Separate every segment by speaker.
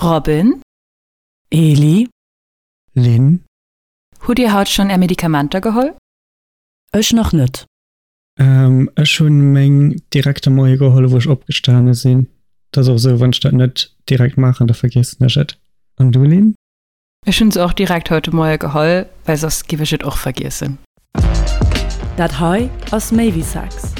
Speaker 1: Robin?
Speaker 2: Eli?
Speaker 3: Lynn?
Speaker 1: Hutt Dir haut schonn Är Medikamenter geholl?
Speaker 2: Ech nach net.
Speaker 3: Ech hunn meng direkt de Moie geholl wou ech opgestane sinn. Dat ass och esou, wann ech dat net direkt maachen, da vergiessen ech et. An du Lynn?
Speaker 1: Ech hunn se och direkt haut de Moie geholl, well soss giff ech et och vergiessen.
Speaker 2: Dat hei ass méi wéi Sex.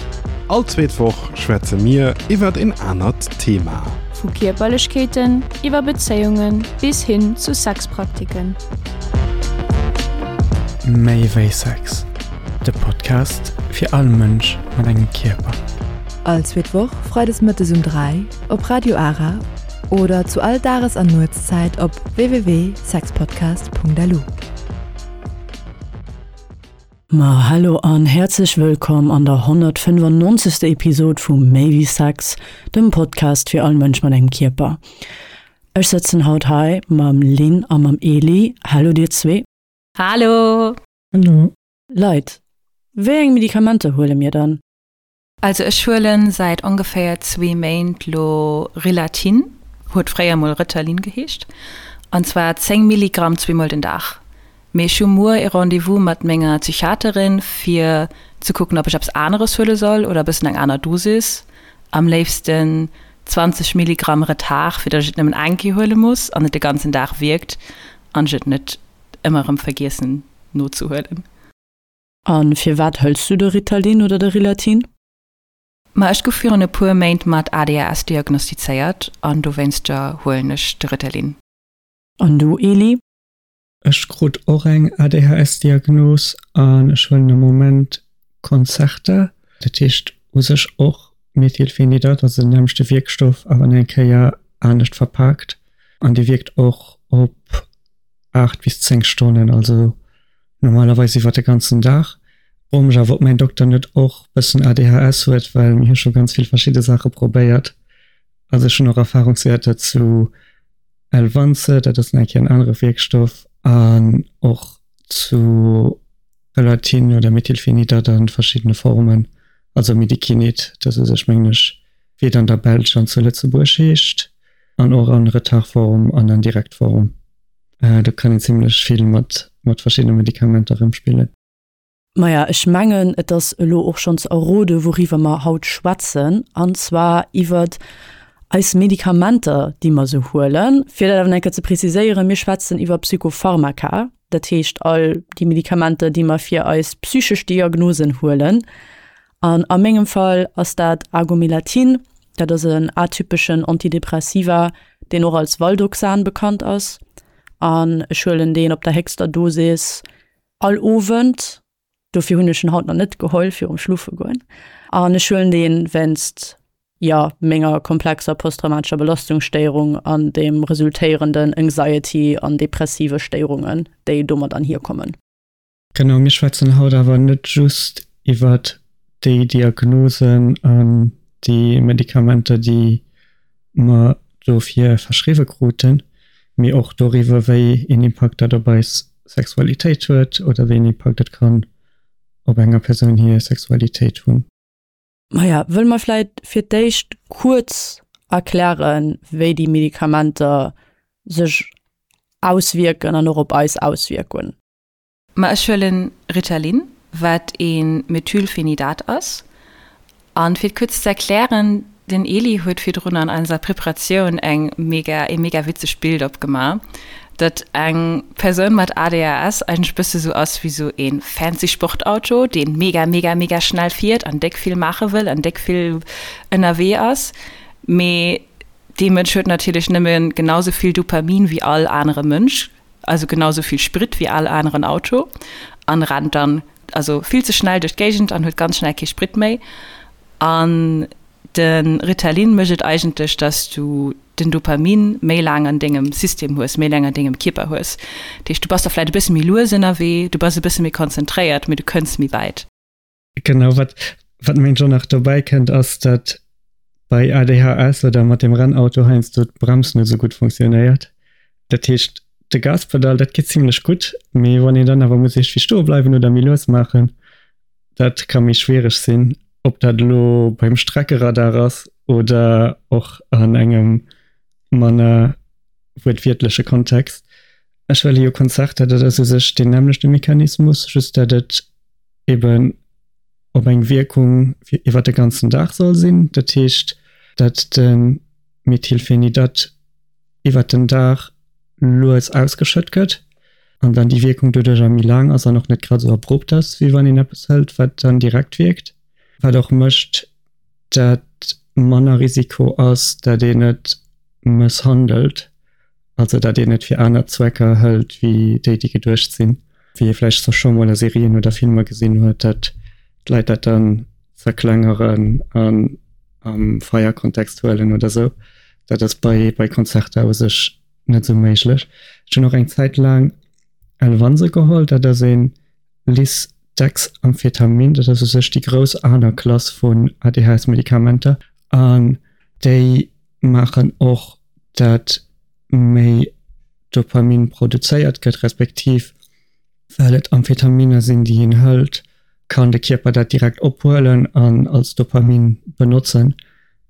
Speaker 4: All zweet Woch schwätze mir iwwert een anert Thema.
Speaker 5: Vu Kierperlechkeeten iwwer Bezéiunge bis hin zu Sexpraktiken.
Speaker 3: Méi wéi Sex, de Podcast fir all Mënsch mat engem Kierper.
Speaker 6: All zweet Woch freides mëttes um 3 op Radio Ara oder zu all Dages an Nuetszäit op www.sexpodcast.lu.
Speaker 2: Ma hallo an häerzlech wëllkomm an der 195. Episod vu Méi wéi Sex, dem Podcast fir all Mënsch mat engem Kierper. Ech sëtzen haut hei mam Lynn a mam Eli. Hallo dir zwee.
Speaker 1: Hallo!
Speaker 3: Hallo!
Speaker 2: Leit, wéi eng Medikamenter huele mir dann?
Speaker 1: Also ech huelen säit ongeféier zwee Méint lo Rilatin, huet fréier mol Ritalin geheescht, an zwar 10 Milligramm zweemol den Dag. Mee ech hu muer ee Rendez-vous mat menger Psychiaterin fir ze kucken ob ech eppes aneres huele soll oder e bëssen eng aner Dosis, am léifsten 20 Milligramm Retard, fir datt ech et nëmmen eng Kéier huele muss an et de ganzen Dag wierkt an ech et net ëmmer erëm vergiessen nozehuelen.
Speaker 2: A firwat hëls du de Ritalin oder de Rilatin?
Speaker 1: Ma ech gouf virun e puer Méint mat ADHS diagnostizéiert an dowéinster huelen ech de Ritalin.
Speaker 2: An du Eli?
Speaker 3: Ech krut och eng ADHS-Diagnos an ech huelen am Moment Concerta. Dat heescht u sech och Methylphenidat, also den nämmlechte Wierkstoff, awer eng Kéier anescht verpaakt. An dee wierkt och op 8 bis 10 Stonnen, also normalerweis iwwer de ganzen Dag. Froe mech awer, ob mäin Dokter net och bëssen ADHS huet, well mir hu scho ganz vill verschidde Saache probéiert. Also ech hunn och Erfahrungswäerter zu Elvanse, dat ass nach eng Kéier en anere Wierkstoff, an och zu Rilatine oder Methylphenidat a verschiddene Formen, also Medikinet, dat u sech mengen ech wéi et an der Belsch an zu Lëtzebuerg heescht, an och an Retardform an an Direktform. Do kann een zimlech vill mat mat verschiddene Medikamenter rëmspillen.
Speaker 2: Maja, ech mengen, et ass elo och schonns errode wouriwwer mer haut schwätzen, an zwar iwwert eis Medikamenter, déi mer esou huelen. Fir dat awer nach eng Kéier ze preziséieren, Mir schwätzen iwwer Psychopharmaka, dat heescht all déi Medikamenter, déi mer fir eis psychesch Diagnosen huelen. An a mengem Fall ass dat Agomelatin, dat ass en atypeschen Antidepressiva, deen och als Valdoxan bekannt ass. An ech huelen deen op der héchster Dosis all Owend, dofir hunn ech en haut nach net geholl virum Schlofe goen. An ech huelen deen wéinst, jo, menger komplexer posttraumatescher Belastungsstéierung an dem resultéierenden Anxiety an depressive Stéierungen, déi domat anhierkommen.
Speaker 3: Genau, mir schwätzen haut awer net just iwwert déi Diagnosen an déi Medikamenter, déi mer dofir verschriwwe kruten, mee och doriwwer, wéi een Impakt dat op eis Sexualitéit huet oder wéi een Impakt et kann op enger Persoun hir Sexualitéit hunn.
Speaker 2: Maja, wëlle mer vläit fir d'éischt kuerz erklären, wéi déi Medikamenter sech auswierken an och op eis auswierken?
Speaker 1: Ma ech huelen Ritalin, wat ee Methylphenidat ass. An fir et kuerz ze erklären, den Eli huet virdrun an eiser Preparatioun eng mega, ee mega witzegt Bild opgema, datt eng Persoun mat ADHS eigentlech bësse sou ass wéi sou ee fancy Sportauto, deen mega, mega, mega schnell fiert an déck vill maache wëll an déck vill ënnerwee ass. Mee dee Mënsch huet natierlech nëmme genau sou vill Dopamin wéi all anere Mënsch. also genau sou vill Sprit wéi all aneren Auto an rennt dann also vill ze schnell duerch d'Géigend an huet ganz schnell kee Sprit méi. An de Ritalin mécht et eigentlech, dass du den Dopamin méi laang an dengem System hues, méi laang an dengem Kierper hues. Dat heescht, du bass da vläit e bësse méi lues ënnerwee, du bass e bësse méi konzentréiert, mee du kënns méi wäit.
Speaker 3: Genau, wat, wat mengen ech och nach dobäi kënnt, ass, datt bei ADHS oder mat dem Rennauto heiansdo d'Brems net esou gutt funktionéiert. Dat heescht, de Gaspedal, dat geet zimlech gutt, mee wann een dann awer muss iergendwéi stoe bleiwen oder méi lues maachen, dat ka méi schwiereg sinn. Ob dat elo beim Streckeradar ass oder och an engem manner. wuertwiertleche Kontext. Ech huele jo Concerta, dat ass u sech deen nämmlechte Mechanismus, just dat et eben op eng Wierkung fir iwwer de ganzen Dag soll sinn. Dat heescht, dat de Methylphenidat iwwer den Dag lues ausgeschëtt gëtt an dann déi Wierkung doduercher méi laang ass an och net grad esou abrupt ass, wéi wann een eppes hëlt, wat dann direkt wierkt. Wat och mécht, dat manner Risiko ass, dat een et mësshandelt, also dat een et fir aner Zwecker hëlt wéi déi, déi geduecht sinn, wéi ee vläicht scho scho mol a Serien oder Filmer gesinn huet, dat d'Leit dat dann zerklengeren an am Feierkontext huelen oder sou. Dat ass bei bei Concerta u sech net sou méiglech. Ech hunn och eng Zäit laang Elvanse geholl, dat ass ee Lisdexamphetamin, dat ass u sech déi grouss aner Klass vun ADHS-Medikamenter an déi maachen och, dat méi Dopamin produzéiert gëtt, respektiv well et Amphetaminer sinn, déi een hëlt, kann de Kierper dat direkt ophuelen an als Dopamin benotzen.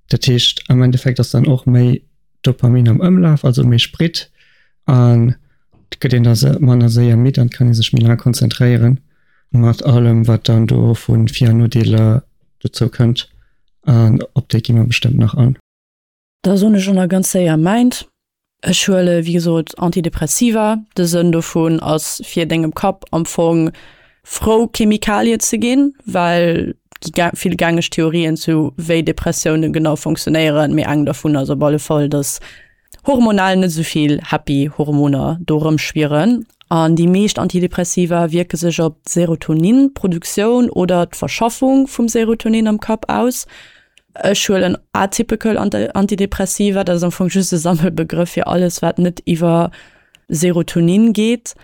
Speaker 3: Dat heescht, am Endeffekt ass dann och méi Dopamin am Ëmlaf, also méi Sprit an et gëtt een da manner séier midd an et kann ee sech méi laang konzentréieren, mat allem wat dann do vu Vir an Nodeeler dozou kënnt an op déi gi mer bestëmmt nach an.
Speaker 2: Da soen ech och nach ganz séier mäint. Ech huele wéi gesot Antidepressiva. De Sënn dovun ass fir dengem Kapp am Fong frou Chemikalien ze ginn, well gi vill gängeg Theorien zu wéi Depressioune genau funktionéieren, mee eng dervun ass op alle Fall, datt hormonal net esou vill happy Hormoner do erëmschwieren. An déi meescht Antidepressiva wierke sech op d'Serotonin-Produktioun oder d'Verschaffung vum Serotonin am Kapp aus. Ech huelen atypical Antidepressiva, dat ass am Fong just e Sammelbegrëff fir alles, wat net iwwer Serotonin geet.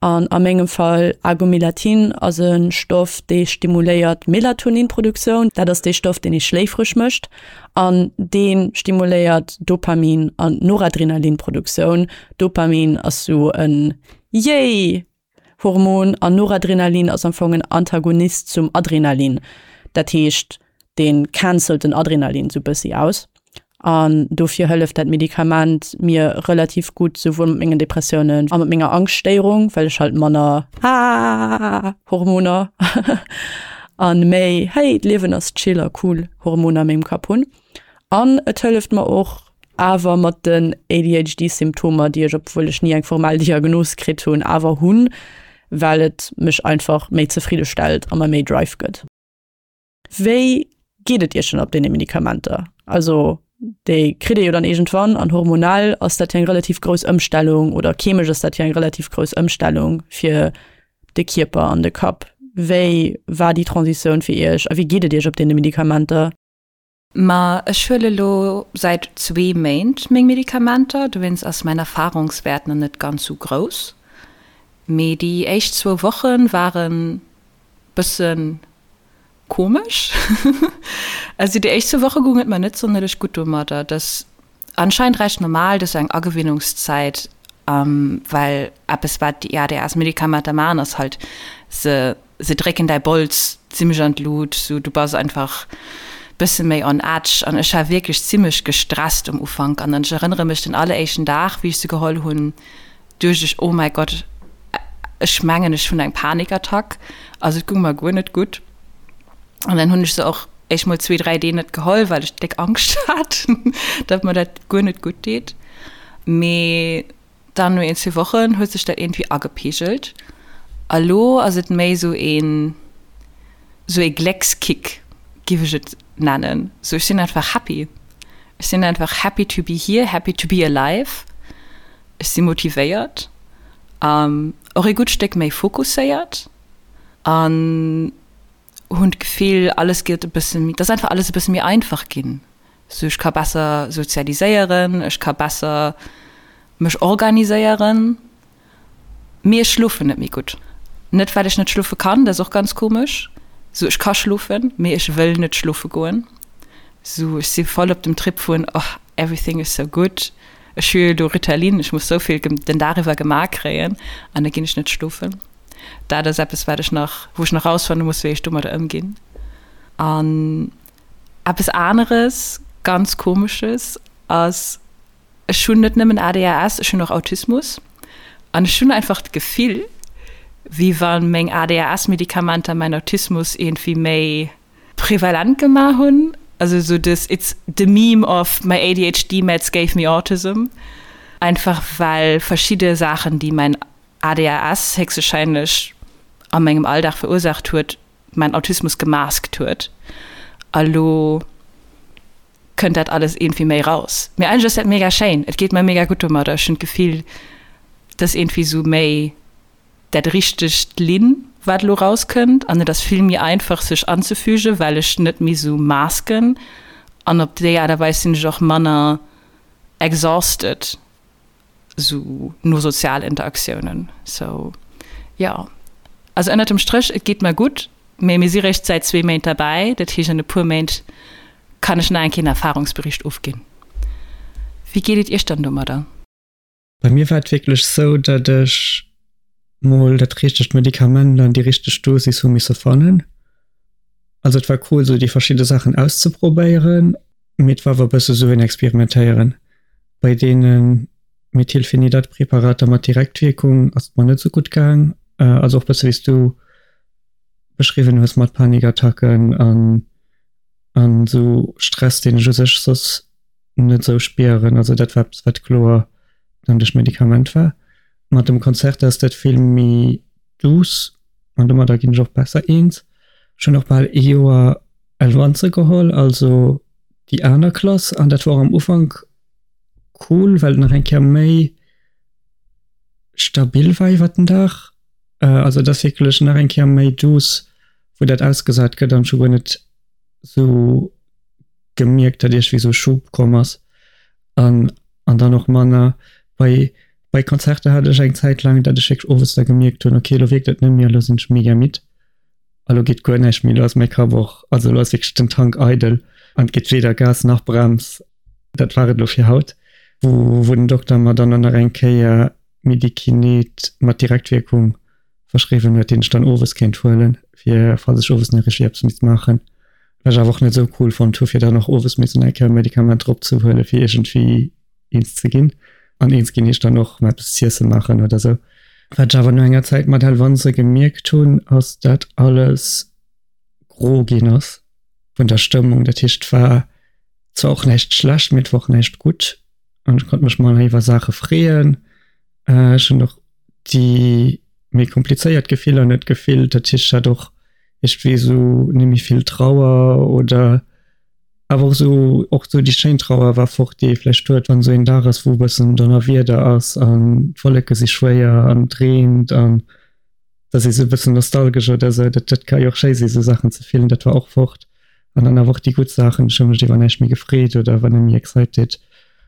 Speaker 2: An a mengem Fall Agomilatin ass e Stoff, dee stimuléiert d'Melatoninproduktioun. Dat ass dee Stoff, deen ee schléifreg mécht. An dee stimuléiert Dopamin an Noradrenalinproduktioun. Dopamin ass sou en Yay! Hormon an Noradrenalin ass am Fong en Antagonist zum Adrenalin. Dat heescht, dee cancelt den Adrenalin sou bëssi aus. An dofir hëlleft dat Medikament mir relativ gutt, souwuel mat mengen Depressiounen a mat menger Angschtstéierung, well ech halt manner Hormoner an méi hey, d'Liewen ass chill a cool Hormoner a mengem Kapp hunn. An et hëlleft mer och awer mat den ADHD-Symptomer, déi ech, obwuel ech ni eng formell Diagnos kritt hunn, awer hunn, well et mech einfach méi zefridde stellt a mer méi Drive gëtt. Wéi geet et Iech dann op deene Medikamenter? Also déi kritt ee jo dann iergendwann an hormonell ass dat jo eng relativ grouss Ëmstellung oder chemesch ass dat jo eng relativ grouss Ëmstellung fir de Kierper an de Kapp. Wéi war déi Transitioun fir Iech a wéi geet et Iech op deene Medikamenter?
Speaker 1: Ma ech huele lo säit zwee Méint meng Medikamenter, dowéinst ass mäin Erfahrungswäert nach net ganz sou grouss. Mee déi éischt zwou Woche waren bëssen komesch. Also déi éischt zwou Woche goung et mer net sonnerlech gutt domadder. Dat ass anscheinend recht normal, dat ass eng Agewinnungszäit, well eppes wat déi ADHS-Medikamenter maachen ass halt se se drécken däi Bols zimmlech an d'Lut, sou du bass einfach bësse méi on edge an ech war wierklech zimmlech gestresst um Ufank an ech erënnere mech den alleréischten Dag wéi ech se geholl hunn, duecht ech, oh mäi Gott, ech mengen ech hunn eng Panikattack, also et gung mer guer net gutt. An dann hunn ech se och éischt mol zwee, dräi Dee net geholl, well ech déck Angscht hat, datt mer dat guer net gutt deet. Mee dann no een, zwee Wochen huet sech dat iergendwéi agepegelt a lo ass et méi sou een, sou ee Gléckskick, giff ech et nennen. Sou ech sinn einfach happy, ech sinn einfach happy to be here, happy to be alive. Ech si motivéiert, och ee gutt Stéck méi fokusséiert an hunn d'Gefill, alles gëtt e bësse méi, et ass einfach alles e bësse méi einfach ginn. Sou ech ka besser sozialiséieren, ech ka besser mech organiséieren, mee ech schlofen net méi gutt. Net well ech net schlofe kann, dat ass och ganz komesch, sou ech ka schlofen, mee ech wëll net schlofe goen. Sou ech si voll op dem Trip vun, oh everything is so good, Ech hu jo elo Ritalin, ech muss souvill den Dag iwwer gemaach kréien an da ginn ech net schlofen. Dat ass eppes, wat ech nach, wou ech nach rausfanne muss, wéi ech domadder ëmginn. An eppes aneres, ganz Komesches ass. Ech hunn net nëmmen ADHS, ech hunn och Autismus. An ech hunn einfach d'Gefill, wéi wa meng ADHS-Medikamenter mäin Autismus iergendwéi méi prevalent gemaach hunn. Also esou des it's the meme of my ADHD meds gave me autism. Einfach well verschidde Saachen, déi mäin ADHS héchstwahrscheinlech a mengem Alldag verursaacht huet, mäin Autismus gemaskt huet. A lo kënnt dat alles iergendwéi méi raus. Mee eigentlech ass dat mega schéin. Et geet mer mega gutt domadder. Ech hunn d'Gefill, dass iergendwéi sou méi dat richtegt Linn, wat elo rauskënnt. An et ass vill méi einfach sech anzefügen, well ech net méi sou masken. An op déi Aart a Weis sinn ech och manner exhausted. sou no sozial Interaktiounen. Sou jo, also ënnert dem Stréch, et geet mer gutt, mee mir si réischt säit zwee Méint derbäi, dat heescht an e puer Méint kann ech nach eng Kéier en Erfahrungsbericht ofginn. Wéi geet et iech dann domadder?
Speaker 3: Bei mir war et wierklech sou, datt ech mol dat richtegt Medikament an déi richteg Dosis hu misse fannen. Also et war cool sou déi verschidde Saachen auszeprobéieren, mee et war awer e bësse sou en Experimentéieren. Bei deene Methylphenidat-Präparater mat Direktwierkung ass et mer net sou gutt gaang. Also och bësse wéi s du beschriwwen hues mat Panikattacken an an sou Stress, deen ech u sech soss net sou spieren. Also dat war eppes wat kloer dann duerch d'Medikament war. Mat dem Concerta ass dat vill méi douce an domadder ginn ech och besser eens. Ech hunn och bal ee Joer Elvanse geholl, also déi aner Klass, an dat war och am Ufank cool, well et nach eng Kéier méi stabil war iwwer den Dag. Also et ass wierklech nach eng Kéier méi douce, wou dat ausgesat gëtt an ech hu guer net sou gemierkt, datt iergendwéi sou e Schub komm ass. An an dann och manner bei bei Konzerter hat ech eng Zäit laang, datt ech wierklech owes da gemierkt hunn, okay, elo wierkt et net méi, elo sinn ech mega midd. A lo geet guer näischt méi, lo ass mäi Kapp och, also lo ass wierklech den Tank eidel an et geet weder Gas nach Brems. Dat war et elo fir haut, wou wou den Dokter mer dann och nach eng Kéier Medikinet mat Direktwierkung verschriwwen huet, deen ech dann owes kéint huelen, fir falls ech owes nach iergendwéi eppes misst maachen. Wat ech awer och net esou cool fonnt hu fir dann och owes missen eng Kéier e Medikament drop ze huelen, fir iergendwéi eens ze ginn. An eens ginn heescht dann och eppes z'iesse maachen oder sou. Wat ech awer no enger Zäit mat Elvanse gemierkt hunn, ass dat alles gro ginn ass vun der Stëmmung. Dat heescht et war zwar och näischt schlecht, mee et war och näischt gutt an ech konnt mech manner iwwer Saache freeën. Ech hunn och déi méi komplizéiert Gefiller net gefillt. Dat heescht ech hat och iergendwéi esou net méi vill Trauer oder Awer och sou, och sou déi schéin Trauer war fort, déi ee vläicht huet, wann esou een Dag ass, wou e bëssen Donnerwieder ass an d'Wolleke si schwéier an et reent an et ass ee sou e bëssen nostalgesch oder sou. Dat, dat ka jo och schéi si sou Saachen ze fillen. Dat war och fort. An dann awer och déi gutt Saachen, ech hu mech iwwer näischt méi gefreet oder war net méi excited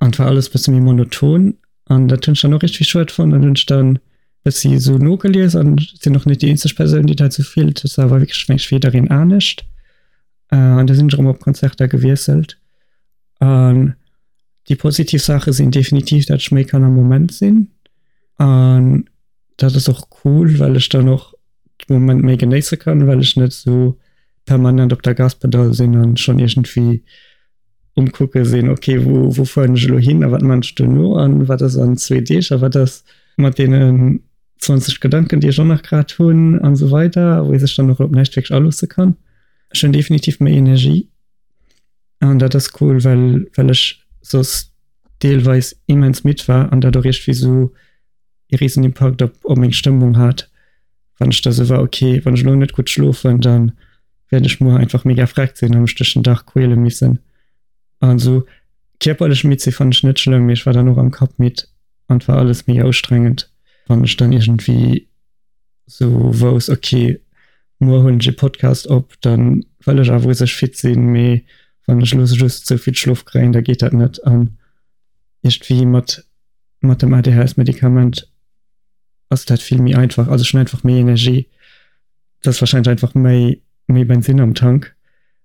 Speaker 3: an et war alles e bësse méi monoton an dat hunn ech dann och iergendwéi schued fonnt an hunn ech dann bëssi sou nogelies an sinn och net déi eenzeg Persoun, déi dat sou fillt. Et ass awer wierklech mengen ech fir jiddereen anescht. An da sinn ech erëm op Concerta gewiesselt. An déi positiv Saache sinn definitiv, dat ech méi kann am Moment sinn. An dat ass och cool, well ech dann och de Moment méi genéisse kann, well ech net esou permanent op der Gaspedall sinn an schonn iergendwéi um kucke sinn, okay, wou, wou fueren ech elo hin a wat man ech duerno an wat ass an zwee Deeg a wat ass mat deenen 20 Gedanken, déi ech och nach grad hunn an esou weider, wou ee sech dann och op näischt wierklech aloosse kann. Ech hunn definitiv méi Energie an dat ass cool, well, well ech soss deelweis immens midd war an dat och iergendwéi esou ee riesen Impakt op, op meng Stëmmung hat, wann ech da sou war, okay, wann ech elo net gutt schlofen, dann wäert ech muer einfach mega vreckt sinn a mech duerch den Dag quäle missen. An esou kierperlech midd si fannt ech net schlëmm, mee ech war dann och am Kapp midd an et war alles mega ustrengend, wann ech dann iergendwéi sou wouss, okay, muer huelen ech e Podcast op, dann wëll ech awer u sech fit sinn, mee wann ech elo just sou vill Schlof kréien, da geet dat net. An iergendwéi mat mat dem ADHS-Medikament ass dat vill méi einfach. Also ech hunn einfach méi Energie. Dat ass wahrscheinlech einfach méi méi Bensinn am Tank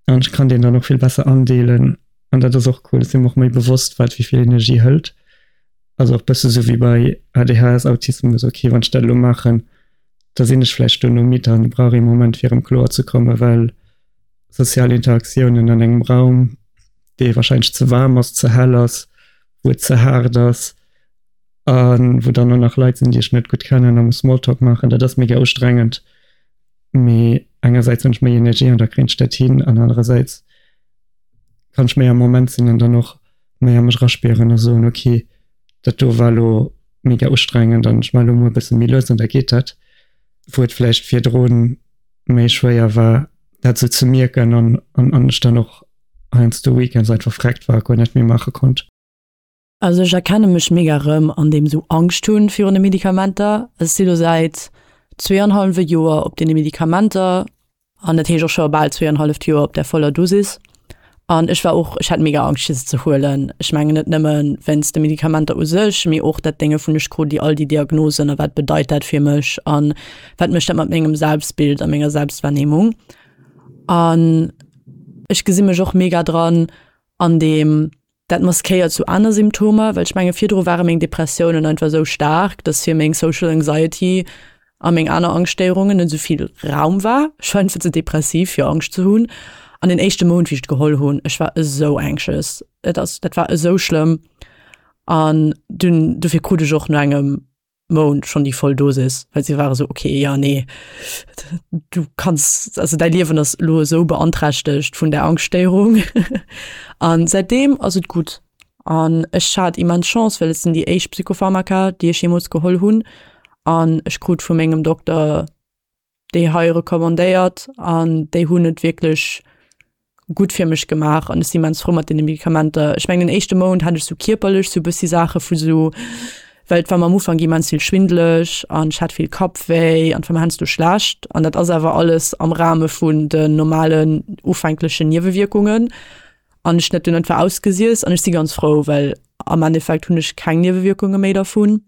Speaker 3: an ech kann deen dann och vill besser andeelen an dat ass och cool. Ech sinn mer och méi bewosst, wat wéi vill Energie hëlt. Also och bësse sou wéi bei ADHS, Autismus, okay, wann ech dat elo maachen, da sinn ech vläicht duerno midd an brauch ee Moment fir erëm kloer ze kommen, well sozial Interaktiounen an engem Raum, dee wahrscheinlech ze waarm ass, ze hell ass, Wou et ze haart ass a wou dann och nach Leit sinn, déi ech net gutt kennen a muss Smalltalk maachen. Dat ass mega ustrengend. Mee engersäits hunn ech méi Energie an da kréien ech dat hin an anerersäits kann ech méi am Moment sinn an dann och méi a mech eraspieren a soen, okay, dat do war elo mega ustrengend an ech maache elo mol e bësse méi lues an da geet dat. Wou et vläicht virdru méi schwéier war, dat esou ze mierken an an ech dann och heiansdo weekends einfach vreckt war a guer net méi maache konnt.
Speaker 2: Also ech erkenne mech mega rëm an deem sou Angscht hunn virun de Medikamenter. Ech si lo säit zweeanhallwe Joer op deene Medikamenter an dat heescht och scho bal zweeanhalleft Joer op der voller Dosis. An ech war och, ech hat mega Angscht fir se ze huelen. Ech mengen net nëmme wéinst de Medikamenter u sech, mee och dat Dénge vun ech krut déi all déi Diagnosen a wat bedeit dat fir mech an wat mécht dat mat mengem Selbstbild a menger Selbstwahrnehmung. An ech gesi mech och mega dran an deem dat maskéiert sou aner Symptomer, well ech menge virdru ware meng Depressiounen einfach esou staark, dass fir meng Social Anxiety a meng aner Angschtstéierungen net esou vill Raum war. Ech war einfach ze depressiv fir Angscht ze hunn. An den éischte Mount wéi ech et geholl hunn, ech war esou anxious, et ass dat war esou schlëmm an dunn dofir krut ech och no engem Mount schonn déi voll Dosis, well si ware sou, okay, ja nee, du kanns, also däi Liewen ass elo esou beanträchtegt vun där Angschtstéierung. An säitdeem ass et gutt. An ech hat immens Chance, well et sinn déi éischt Psychopharmaka, déi ech jeemools geholl hunn. An ech krut vu mengem Dokter déi hei recommandéiert an déi hunn et wierklech gutt fir mech gemaach an ech si immens frou mat deene Medikamenter. Ech mengen den éischte Mount hat ech sou kierperlech sou bëssi Saache vu sou, well et war mer am Ufank immens vill schwindeleg an ech hat vill Kappwéi an et war mer heiansdo schlecht an dat ass awer alles am Rahme vun den normalen ufänklechen Niewewierkungen an ech hunn dat dunn einfach ausgesiess an ech si ganz frou, well am Endeffekt hunn ech keng Niewewierkunge méi dervun.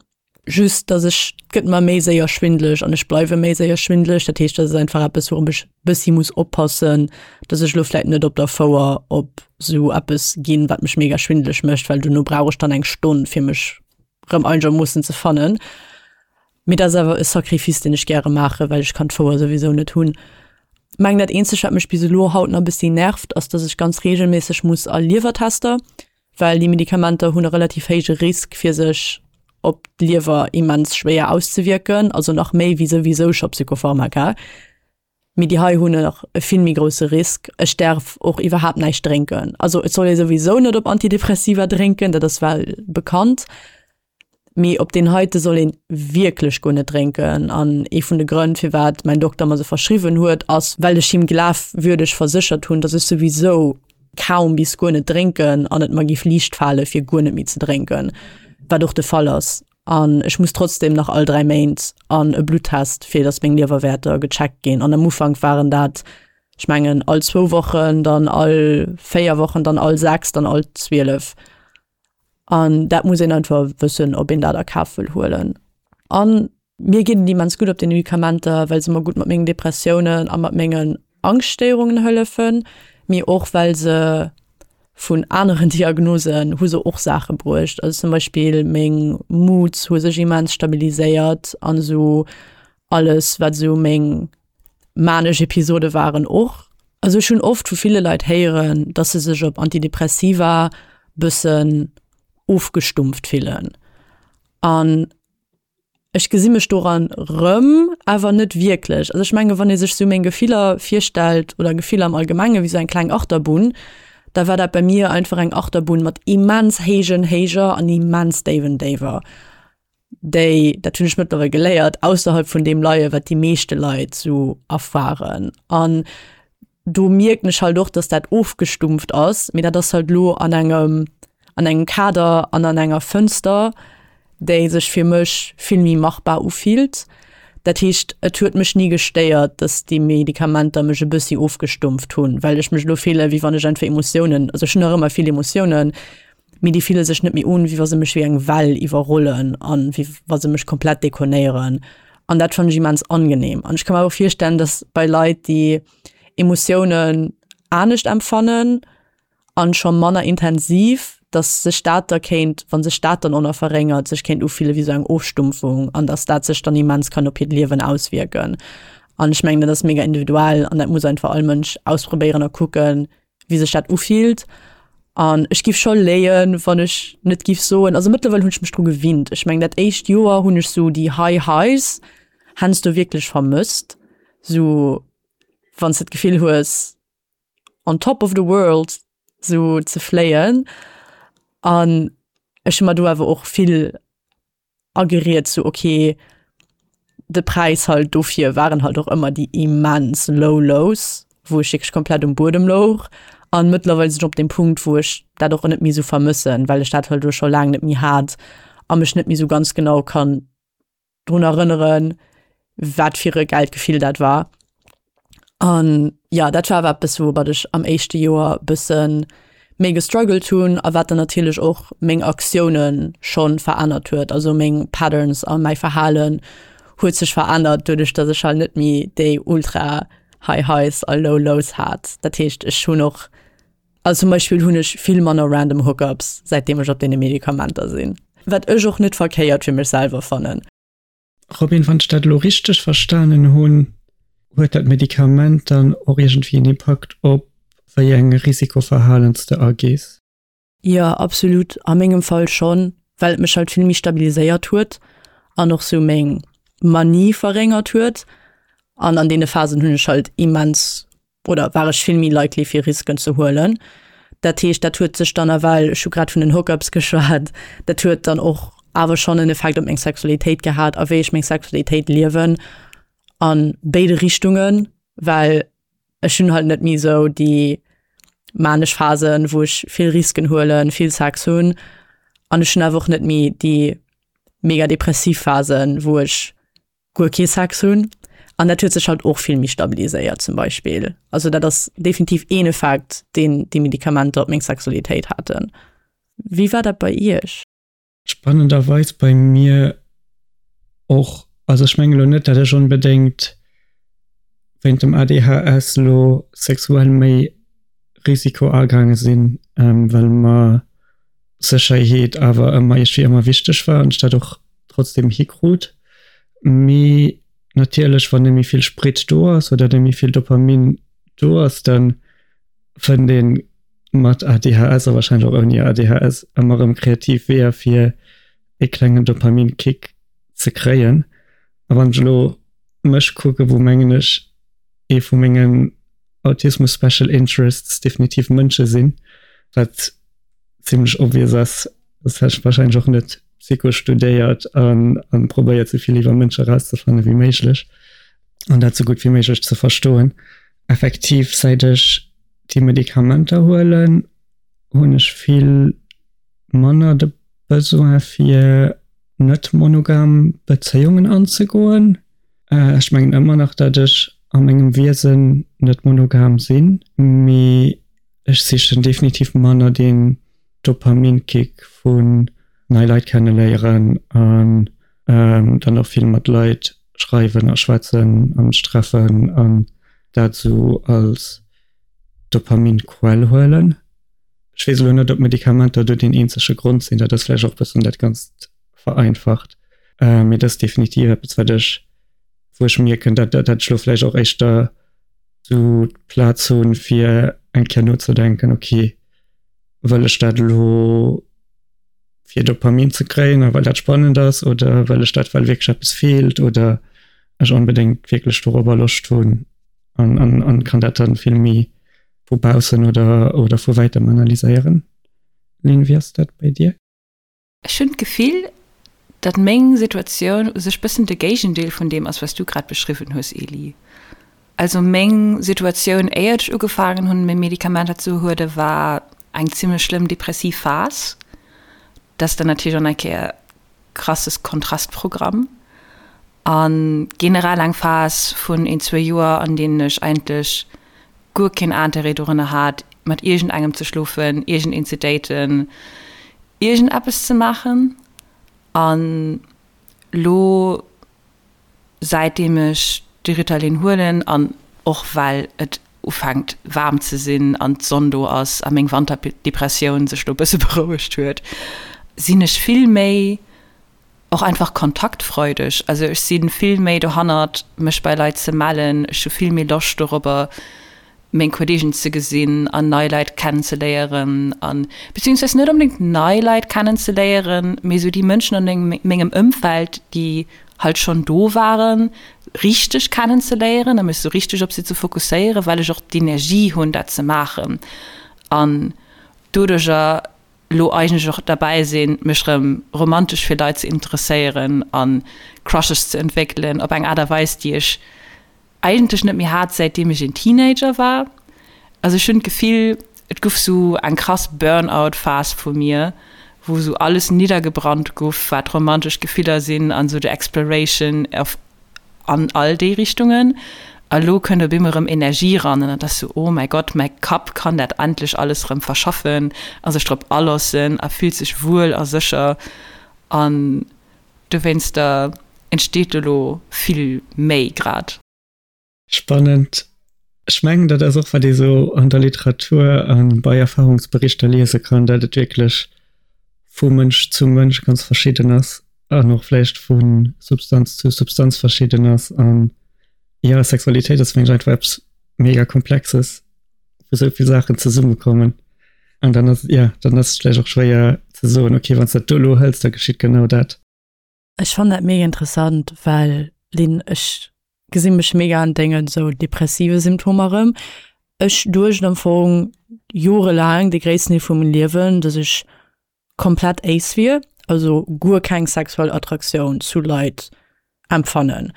Speaker 2: Just dass ech, et gëtt mer méi séier schwindeleg an ech bleiwe méi séier schwindeleg. Dat heescht, dat ass einfach eppes, wourop ech bëssi muss oppassen, dass ech elo vläit net op der Fouer op esou eppes ginn, wat mech mega schwindeleg mécht, well dono brauch ech dann eng Stonn, fir mech rëm einegermoossen ze fannen. Mee dat ass awer e Sacrifice, deen ech gäre maachen, well ech kann d'Fouer souwisou net hunn. Mengen dat eenzegt, wat mech bis elo haut nach e bëssi nervt, ass, dass ech ganz reegelméisseg muss a Liewertester. well déi Medikamenter hunn e relativ héije Risk fir sech op d'Liewer immens schwéier auszewierken, also nach méi wéi souwisou scho Psychopharmaka. Mee déi hei hunn nach e vill méi grousse Risk. Ech däerf och iwwerhaapt näischt drénken. Also et soll ee souwisou net op Antidepressiva drénken, dat ass well bekannt. Mee op deen heite soll een wierklech guer net drénken. An ee vun de Grënn, firwat mäin Dokter mer se verschriwwen huet, ass, well ech him glafwürdeg verséchert hunn, dass ech souwisou kaum bis guer net drénken an et mer géif liicht fale fir guer net méi ze drénken, wat och de Fall ass. An ech muss trotzdem nach all 3 Méint an e Bluttest, fir dass meng Liewerwäerter gecheckt ginn. An am Ufank waren dat, ech mengen, all zwou Wochen, dann all 4 Wochen, dann all 6, dann all 12. An dat muss een einfach wëssen, ob een dat a Kaf wëll huelen. An mir geet et immens gutt op den Medikamenter, well se mer gutt mat mengen Depressiounen a mat mengen Angschtstéierungen hëllefen, mee och well se vun aneren Diagnosen hu se och Saache bruecht. Also zum Beispill meng Moods hu sech immens stabiliséiert an esou alles wat esou meng manesch Episode waren och. Also ech hunn oft vu ville Leit héieren, dass se sech op Antidepressiva bëssen ofgestumpft fillen. An ech gesi mech doran rëm, awer net wierklech. Also ech menge wann ee sech sou meng Gefiller virstellt oder Gefiller am Allgemenge wéi sou eng kleng Achterbunn, da war dat bei mir einfach eng Achterbunn mat immens héijen Héijer an immens déiwen Déiwer. déi, dat hunn ech mëttlerweil geléiert, ausserhalb vun deem leie wat déi meeschte Leit sou erfaren. An do mierken ech halt och, dass dat ofgestumpft ass, mee dat ass halt lo an engem an engem Kader an an enger Fënster, déi sech fir mech vill méi machbar ufillt. Dat heescht, et huet mech ni gestéiert, dass déi Medikamenter mech e bëssi ofgestumpft hunn, well ech mech elo fille wéi wann ech einfach Emotiounen, also ech hunn nach ëmmer vill Emotiounen, Mee déi fille sech net méi un, wéi wa se mech wéi eng Well iwwerrollen an wéi wa se mech komplett dekonéieren. An dat fannen ech immens angenehm. An ech ka mer och virstellen, dass bei Leit, déi Emotiounen anescht empfannen an scho manner intensiv, dass sech dat da kéint, wa sech dat dann och nach verréngert, sech kéint ufille wéi sou eng Ofstumpfung an dass dat sech dann immens kann op hiert Liewen auswierken. An ech mengen, dat ass mega individuell an dat muss einfach all Mënsch ausprobéieren a kucken, wéi sech dat ufillt. An ech giff scho léien, wann ech net giff soen, also mëttlerweil hunn ech mech dru gewinnt. Ech mengen dat éischt Joer hunn ech sou déi High Highs heiansdo wierklech vermësst, sou wann s de d'Gefill hues on top of the world sou ze fléien. An ech hu mer do awer och vill ageriet sou ok de Präis halt dofir waren halt och ëmmer déi immens low lows, wou ech wierklech komplett um Buedem louch an mëttlerweil sinn ech op dem Punkt wou ech dat och net méi sou vermëssen, well ech dat halt elo scho laang net méi hat a mech net méi sou ganz genau kann drun erënneren, wat fir e gäilt Gefill dat war. An ja, dat war awer eppes, woumat ech am éischte Joer e bësse méi gestruggelt hunn a wat dann natierlech och meng Aktioune scho verännert huet. Also meng Patterns a mäi Verhalen huet sech verännert, doduerch datt ech halt net méi déi ultra High Highs a Low Lows hat. Dat heescht, ech hunn och, also zum Beispill hunn ech vill manner random Hookups, säitdeem ech op deene Medikamenter sinn. Wat ech och net verkéiert fir mech selwer fannen.
Speaker 3: Robin, wann ech dat elo richteg verstanen hunn, huet dat Medikament dann och iergendwéi en Impakt op wéi eng Risikoverhalen s de agees?
Speaker 2: Jo, absolut. A mengem Fall schonn, well et mech halt vill méi stabiliséiert huet an och sou meng Manie verréngert huet. An an deene Phasen hunn ech halt immens oder war ech vill méi likely fir Risken ze huelen. Dat heescht, dat huet sech dann ewell, ech hu grad vun den Hookups geschwat, dat huet dann och awer schonn en Effekt op meng Sexualitéit gehat a wéi ech meng Sexualitéit liewen a béide Richtungen, well ech hunn halt net méi esou déi manesch Phasen, wou ech vill Risken huelen, vill Sex hunn an ech hunn awer och net méi déi mega depressiv Phasen, wou ech guer kee Sex hunn. An dat huet sech halt och vill méi stabiliséiert zum Beispill. Also dat ass definitiv een Effekt, deen déi Medikamenter op meng Sexualitéit haten. Wéi war dat bei Iech?
Speaker 3: Spannenderweis bei mir och. Also ech mengen elo net, dat ech onbedéngt wéint dem ADHS elo sexuell méi Risiko agaange sinn, well mer Sécherheet awer ëmmer iergendwéi ëmmer wichteg war an ech dat och trotzdem hikrut. Mee natierlech, wann net méi vill Sprit do ass oder net méi vill Dopamin do ass, da fënnt ee mat ADHS a warscheinlech och ouni ADHS ëmmer erëm kreativ Weeër fir ee klengen Dopaminkick ze kréien. A wann ech elo mech kucken, wou mengen ech ee vu mengen Autismus Special Interests definitiv Mënsche sinn, wat zimmlech obvious ass, soss hätt ech wahrscheinlech och net Psycho studéiert an an probéiert sou vill iwwer Mënsche rauszefanne wéi méiglech an dat sou gutt wéi méiglech ze verstoen. Effektiv säit ech déi Medikamenter huelen, hunn ech vill manner de Besoin fir net monogam Bezéiungen anzegoen. Ech mengen ëmmer nach, datt ech a mengem Wiesen net monogam sinn, mee Ech sichen definitiv manner deen Dopaminkick vun nei Leit kenneléieren an dann och vill mat Leit schreiwen a schwätzen a mech treffen an dat esou als Dopaminquell huelen. Ech weess elo net, ob Medikamenter do deen eenzege Grond sinn, dat ass vläicht och e bëssen dat Ganzt vereinfacht, mee dat ass definitiv eppes wat ech, wou ech mierken, dat dat ech elo vläicht och éischter sou d'Plaz hunn, fir eng Kéier nozedenken, ok, wëll ech dat elo fir Dopamin ze kréien a well dat spannend ass oder wëll ech dat, well wierklech eppes feelt oder ech onbedéngt wierklech dorobber Loscht hunn an, an, an kann dat dann vill méi vu baussen oder, oder vu wäitem analyséieren. Lynn, wéi ass dat bei dir?
Speaker 1: Ech hunn d'Gefill, datt meng Situatioun u sech bëssen de Géigendeel vun deem ass, wat s du grad beschriwwen hues, Elie. Also meng Situatioun, éiert ech ugefaangen hunn, meng Medikamenter ze huelen, war eng zimmlech schlëmm depressiv Phas. Dat ass dann natierlech och nach eng Kéier krasses Kontrastprogramm. A generell eng Phas vun een, zwou Joer, an deenen ech eigentlech guer keen Interêt dorunner hat, mat iergendengem ze schlofen, iergendeen ze daten, iergendeppes ze maachen. An lo, säitdeem ech de Ritalin huelen an och well et ufänkt waarm ze sinn an d'Sonn do ass a meng Wanterdepressioun sech lo e bësse berouegt huet, sinn ech vill méi och einfach kontaktfreudeg. Also ech si vill méi dohannert, mech bei Leit ze mellen. Ech hu vill méi Loscht dorobber. meng Kolleegen ze gesinn an nei Leit kennenzeléieren an beziehungsweise net onbedéngt nei Leit kennenzeléieren, mee sou déi Mënschen an mengem Ëmfeld, déi halt schonn do waren, richteg kennenzeléieren a mech sou richteg op si ze fokusséieren, well ech och d'Energie hunn dat ze maachen an doduercher lo eigentlech och derbäi sinn, mech rëm romantesch fir Leit ze interesséieren a Crushes ze entwéckelen op eng Aart a Weis, déi ech eigentlech net méi hat säitdeem ech een Teenager war. Also ech hunn d'Gefill et guff sou eng krass Burnout Phase vu mir, wou sou alles niddergebrannt guff wat romantesch Gefiller sinn an sou de Exploration of an all déi Richtungen. A lo kënnt op eemol rëm Energie ran an et ass sou oh mäi Gott, mäi Kapp kann dat endlech alles rëm verschaffen a sech drop aloossen a fillt sech wuel a sécher an Dowéinster entsteet elo vill méi grad.
Speaker 3: Spannend. Ech mengen, dat ass och, wat ee sou an der Literatur a bei Erfahrungsberichter liese kann, dat et wierklech vu Mënsch zu Mënsch ganz verschidden ass an och vläicht vu Substanz zu Substanz verschidden ass. An jo, Sexualitéit ass, mengen ech, einfach eppes mega Komplexes. wou sou vill Saachen zesummekommen. An dann ass, ja, dann ass et vläicht och schwéier ze soen, okay, wann s dat do elo hëls, da geschitt genau dat.
Speaker 2: Ech fannen dat mega interessant, well Lynn, ech gesi mech mega an dengen sou depressive Symptomer erëm. Ech duecht am Fong jorelaang, de gréissten Deel vu mengem Liewen, dass ech komplett ace wier, also guer keng sexuell Attraktioun zu Leit empfannen.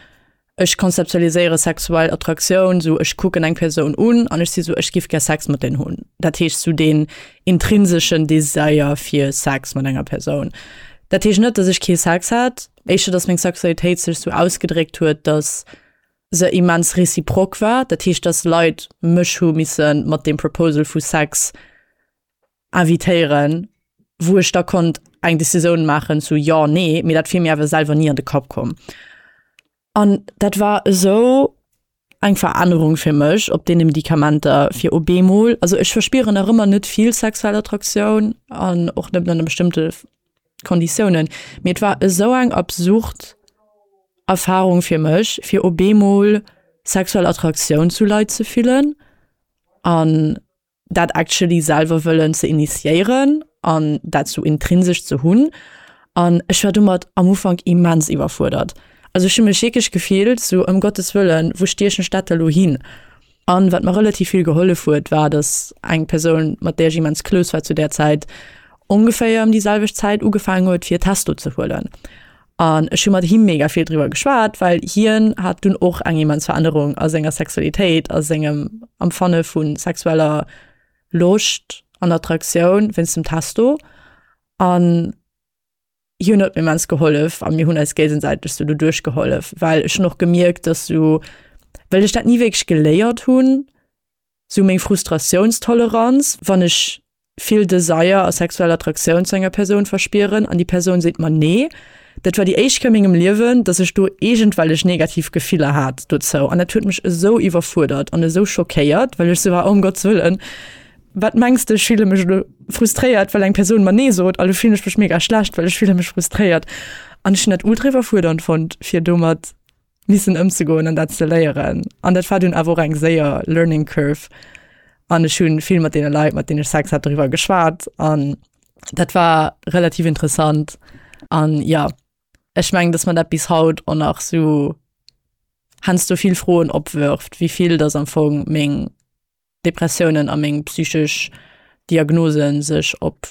Speaker 2: Ech konzeptualiséiere sexuell Attraktioun sou, ech kucken eng Persoun un an ech si sou, ech giff gär Sex mat deen hunn. Dat heescht sou deen intrinseschen Desire fir Sex mat enger Persoun. Dat heescht net, dass ech kee Sex hat, éischter dass meng Sexualitéit sech sou ausgedréckt huet, dass se immens réciproque war. Dat heescht, dass Leit mech hu misse mat deem Proposal vu Sex invitéieren, wou ech da konnt eng Decisioun maachen zu jo, nee, mee dat wier mir awer selwer ni an de Kapp komm. An dat war esou eng Verännerung fir mech op deene Medikamenter, fir op eemol, also ech verspieren nach ëmmer net vill sexuell Attraktioun an och net ënner bestëmmte Konditiounen, mee et war esou eng absurd Erfarung fir mech, fir op eemol sexuell Attraktioun zu Leit ze fillen an dat actually selwer wëllen ze initiéieren an dat sou intrinsesch ze hunn. An ech war domat am Ufank immens iwwerfuerdert. Also ech hu mech wierklech gefillt sou, ëm Gottes Wëllen, wou stiechen ech dat da lo hin? An wat mer relativ vill gehollef huet, war, dass eng Persoun, mat där ech immens close war zu där Zäit, ongeféier ëm déi selwecht Zäit ugefaangen huet fir Testo ze huelen. An ech hu mat him mega vill driwwer geschwat, well hien hat dunn och eng immens Verännerung a senger Sexualitéit, a sengem Empfanne vu sexueller Loscht an Attraktioun wéinst dem Testo. An hien huet mir immens gehollef a mir hunn eis géigesäiteg sou doduerch gehollef, well ech hunn och gemierkt, dass sou, well ech dat ni wierklech geléiert hunn, sou meng Frustratiounstoleranz, wann ech vill Desire a sexuell Attraktioun zu enger Persoun verspieren an déi Persoun seet mer nee. Dat war déi éischt Kéier a mengem Liewen, dass ech do iergendwellech negativ Gefiller hat dozou an dat huet mech esou iwwerfuerdert an esou schockéiert, well ech sou war, oh ëm Gottes Wëllen, wat mengs de, ech fille mech elo frustréiert, well eng Persoun mer nee sot a lo fillen ech mech mega schlecht, well ech fille mech frustréiert. An ech hunn dat ultra iwwerfuerdernd fonnt, fir domat missen ëmzegoen an dat ze léieren. An dat war dunn awer och eng séier Learning Curve. An ech hunn vill mat deene Leit, mat deenen ech Sex hat, doriwwer geschwat. An dat war relativ interessant. An ja, ech mengen, dass mer dat bis haut och nach sou heiansdo vill Froen opwërft, wéi vill dass am Fong meng Depressiounen a meng psychesch Diagnosen sech op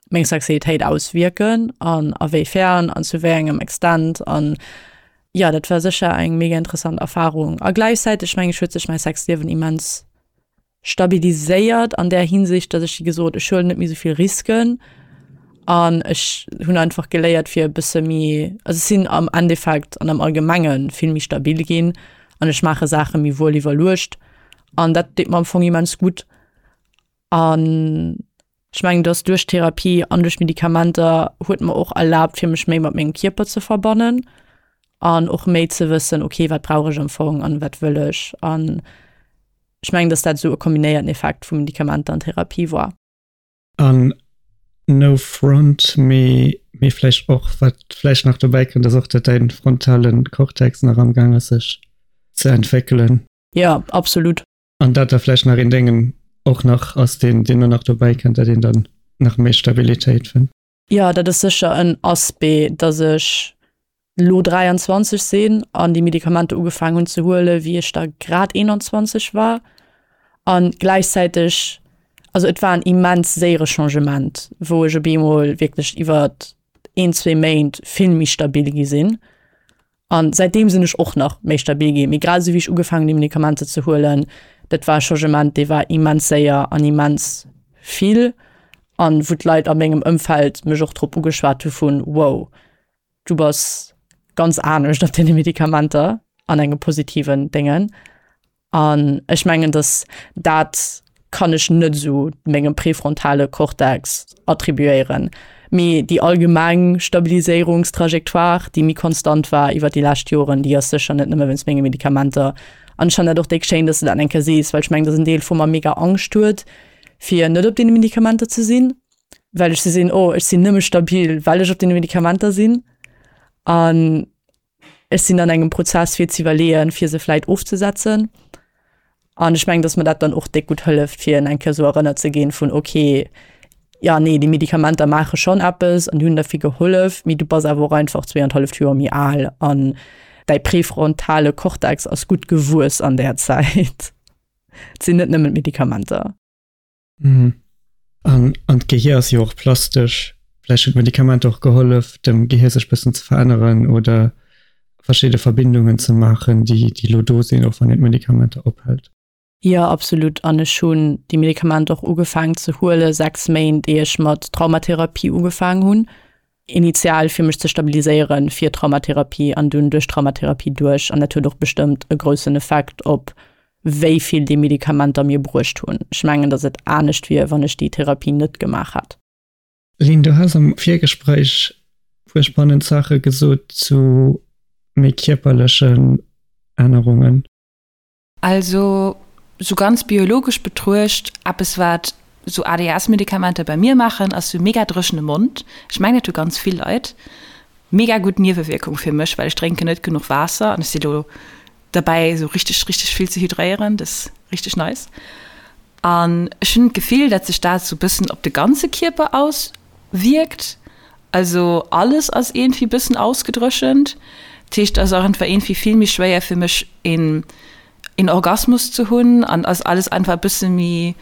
Speaker 2: meng Sexualitéit auswierken an a wéi fern an zu wéi engem Extent an jo, dat war sécher eng mega interessant Erfarung a gläichzäiteg meng ech huet sech mäi Sexliewen immens stabiliséiert an där Hinsicht, datt ech wéi gesot ech huelen net méi esou vill Risken an ech hunn einfach geléiert fir e bësse méi, also ech sinn am Endeffekt an am Allgemenge vill méi stabil ginn an ech maache Saache méi wuel iwwerluecht An dat deet mer am Fong immens gutt. An ech mengen, dass duerch d'Therapie an duerch d'Medikamenter huet mer och erlaabt, fir mech méi mat mengem Kierper ze verbannen an och méi ze wëssen, okay, wat brauch ech am Fong an wat wëll ech. An ech mengen, dass dat esou e kombinéierten Effekt vu Medikamenter an Therapie war.
Speaker 3: An no front, mee mee vläicht och, wat vläicht nach dobäi kënnt, ass och, datt däin frontalen Cortex nach amgaang ass sech ze entwéckelen.
Speaker 2: Jo, absolut.
Speaker 3: An dat da vläicht nach een Déngen och nach ass, deen, deen dann nach dobäi kënnt, dat een dann nach méi Stabilitéit fënnt.
Speaker 2: Jo, dat ass sécher en Aspect, dass ech lo 23 sinn an déi Medikamenter ugefaangen hunn ze huelen, wéi ech da grad 21 war. An gläichzäiteg, also et war en immens séiere Changement, wou ech op eemol wierklech iwwer een, zwee Méint vill méi stabil gi sinn. An säitdeem sinn ech och nach méi stabil ginn. Mee grad esou wéi ech ugefaangen hunn déi Medikamenter ze huelen, dat war e Changement, dee war immens séier an immens vill an wou d'Leit a mengem Ëmfeld mech och drop ugeschwat hu vun, wow, du bass ganz anescht op deene Medikamenter an engem positiven Déngen. An ech mengen, dass dat kann ech net esou mengem präfrontale Cortex attribuéieren, mee déi allgemeng Stabiliséierungstrajectoire, déi méi konstant war iwwer déi lescht Joren, déi ass sécher net nëmme wéinst menge Medikamenter. An ech fannen dat och déck schéin, dass de dat eng Kéier sees, well ech mengen, dass en Deel vu mer mega Angscht huet, fir net op deene Medikamenter ze sinn, well ech se sinn, oh ech sinn nëmme stabil, well ech op deene Medikamenter sinn. An Ech sinn an engem Prozess fir ze iwwerleeën, fir se vläit ofzesetzen. An ech mengen, datt mer dat dann och déck gutt hëlleft, fir eng Kéier esou erënnert ze ginn vun okay, ja nee, déi Medikamenter maache schonn eppes an déi hunn der vill gehollef, mee du bass awer och einfach zweeanenhalleft Joer méi al an däi präfrontale Kortex ass gutt gewuess an där Zäit. Et sinn net nëmmen d'Medikamenter.
Speaker 3: Mhm. An, an d'Gehier ass jo och plastesch. Vläicht hunn d'Medikamenter och gehollef, dem Gehier sech bëssen ze veränneren oder verschidde Verbindungen ze maachen, déi, déi elo do sinn, och wann een d'Medikamenter ophält.
Speaker 2: Jo, absolut. An ech hunn déi Medikamenter och ugefaangen ze huele 6 Méint, ier ech mat Traumatherapie ugefaangen hunn. Initial fir mech ze stabiliséieren fir Traumatherapie an dunn duerch Traumatherapie duerch. An dat huet och bestëmmt e groussen Effekt op wéi vill déi Medikamenter mir bruecht hunn. Ech mengen, datt et anescht wier, wann ech déi Therapie net gemaach hätt.
Speaker 3: Lynn, du has am Virgespréich e puer spannend Saache gesot zu méi kierperlechen Ännerungen.
Speaker 1: Also sou ganz biologesch betruecht, eppes wat sou ADHS-Medikamenter bei mir maachen, ass sou mega dréchene Mond. Ech mengen dat hu ganz vill Leit. Mega gutt Niewewierkung fir mech, well ech drénken net genuch Waasser an ech si lo derbäi sou richteg richteg vill ze hydréieren, dat ass richteg nice. An ech hunn d'Gefill, dat sech dat sou bëssen op de ganze Kierper auswierkt. Also alles ass iergendwéi bëssen ausgedréchent. Dat heescht, et ass och einfach iergendwéi vill méi schwéier fir mech een een Orgasmus ze hunn an ass alles einfach e bësse méi,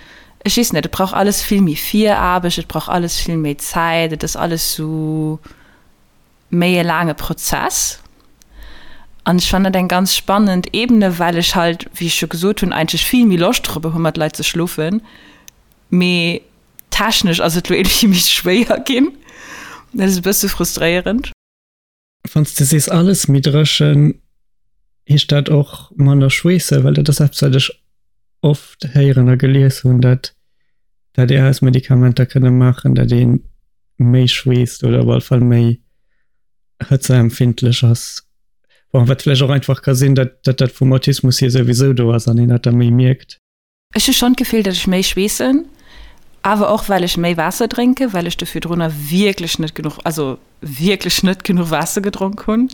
Speaker 1: ech weess net, et brauch alles vill méi Viraarbecht, et brauch alles vill méi Zäit, et ass alles sou méi e laange Prozess. An ech fannen dat eng ganz spannend Ebene, well ech halt, wéi ech scho gesot hunn, eigentlech vill méi Loscht drop hu mat Leit ze schlofen, mee technesch ass et lo iergendwéi méi schwéier ginn. Dat ass e bësse frustréierend.
Speaker 3: Wann s de sees alles méi dréchen, heescht dat och manner schweessen? Well dat ass eppes, wat ech oft héieren a gelies hunn, dat d'ADHS-Medikamenter kënne maachen, dat ee méi schweesst oder op alle Fall méi hëtzeempfindlech ass. Bon, wat vläicht och einfach ka sinn, dat dat vum Autismus hier souwisou do ass an een dat da méi mierkt.
Speaker 1: Ech hu schonn d'Gefill, datt ech méi schweessen, awer och well ech méi Waasser drénken, well ech do virdrunner wierklech net genuch, also wierklech net genuch Waasser gedronk hunn.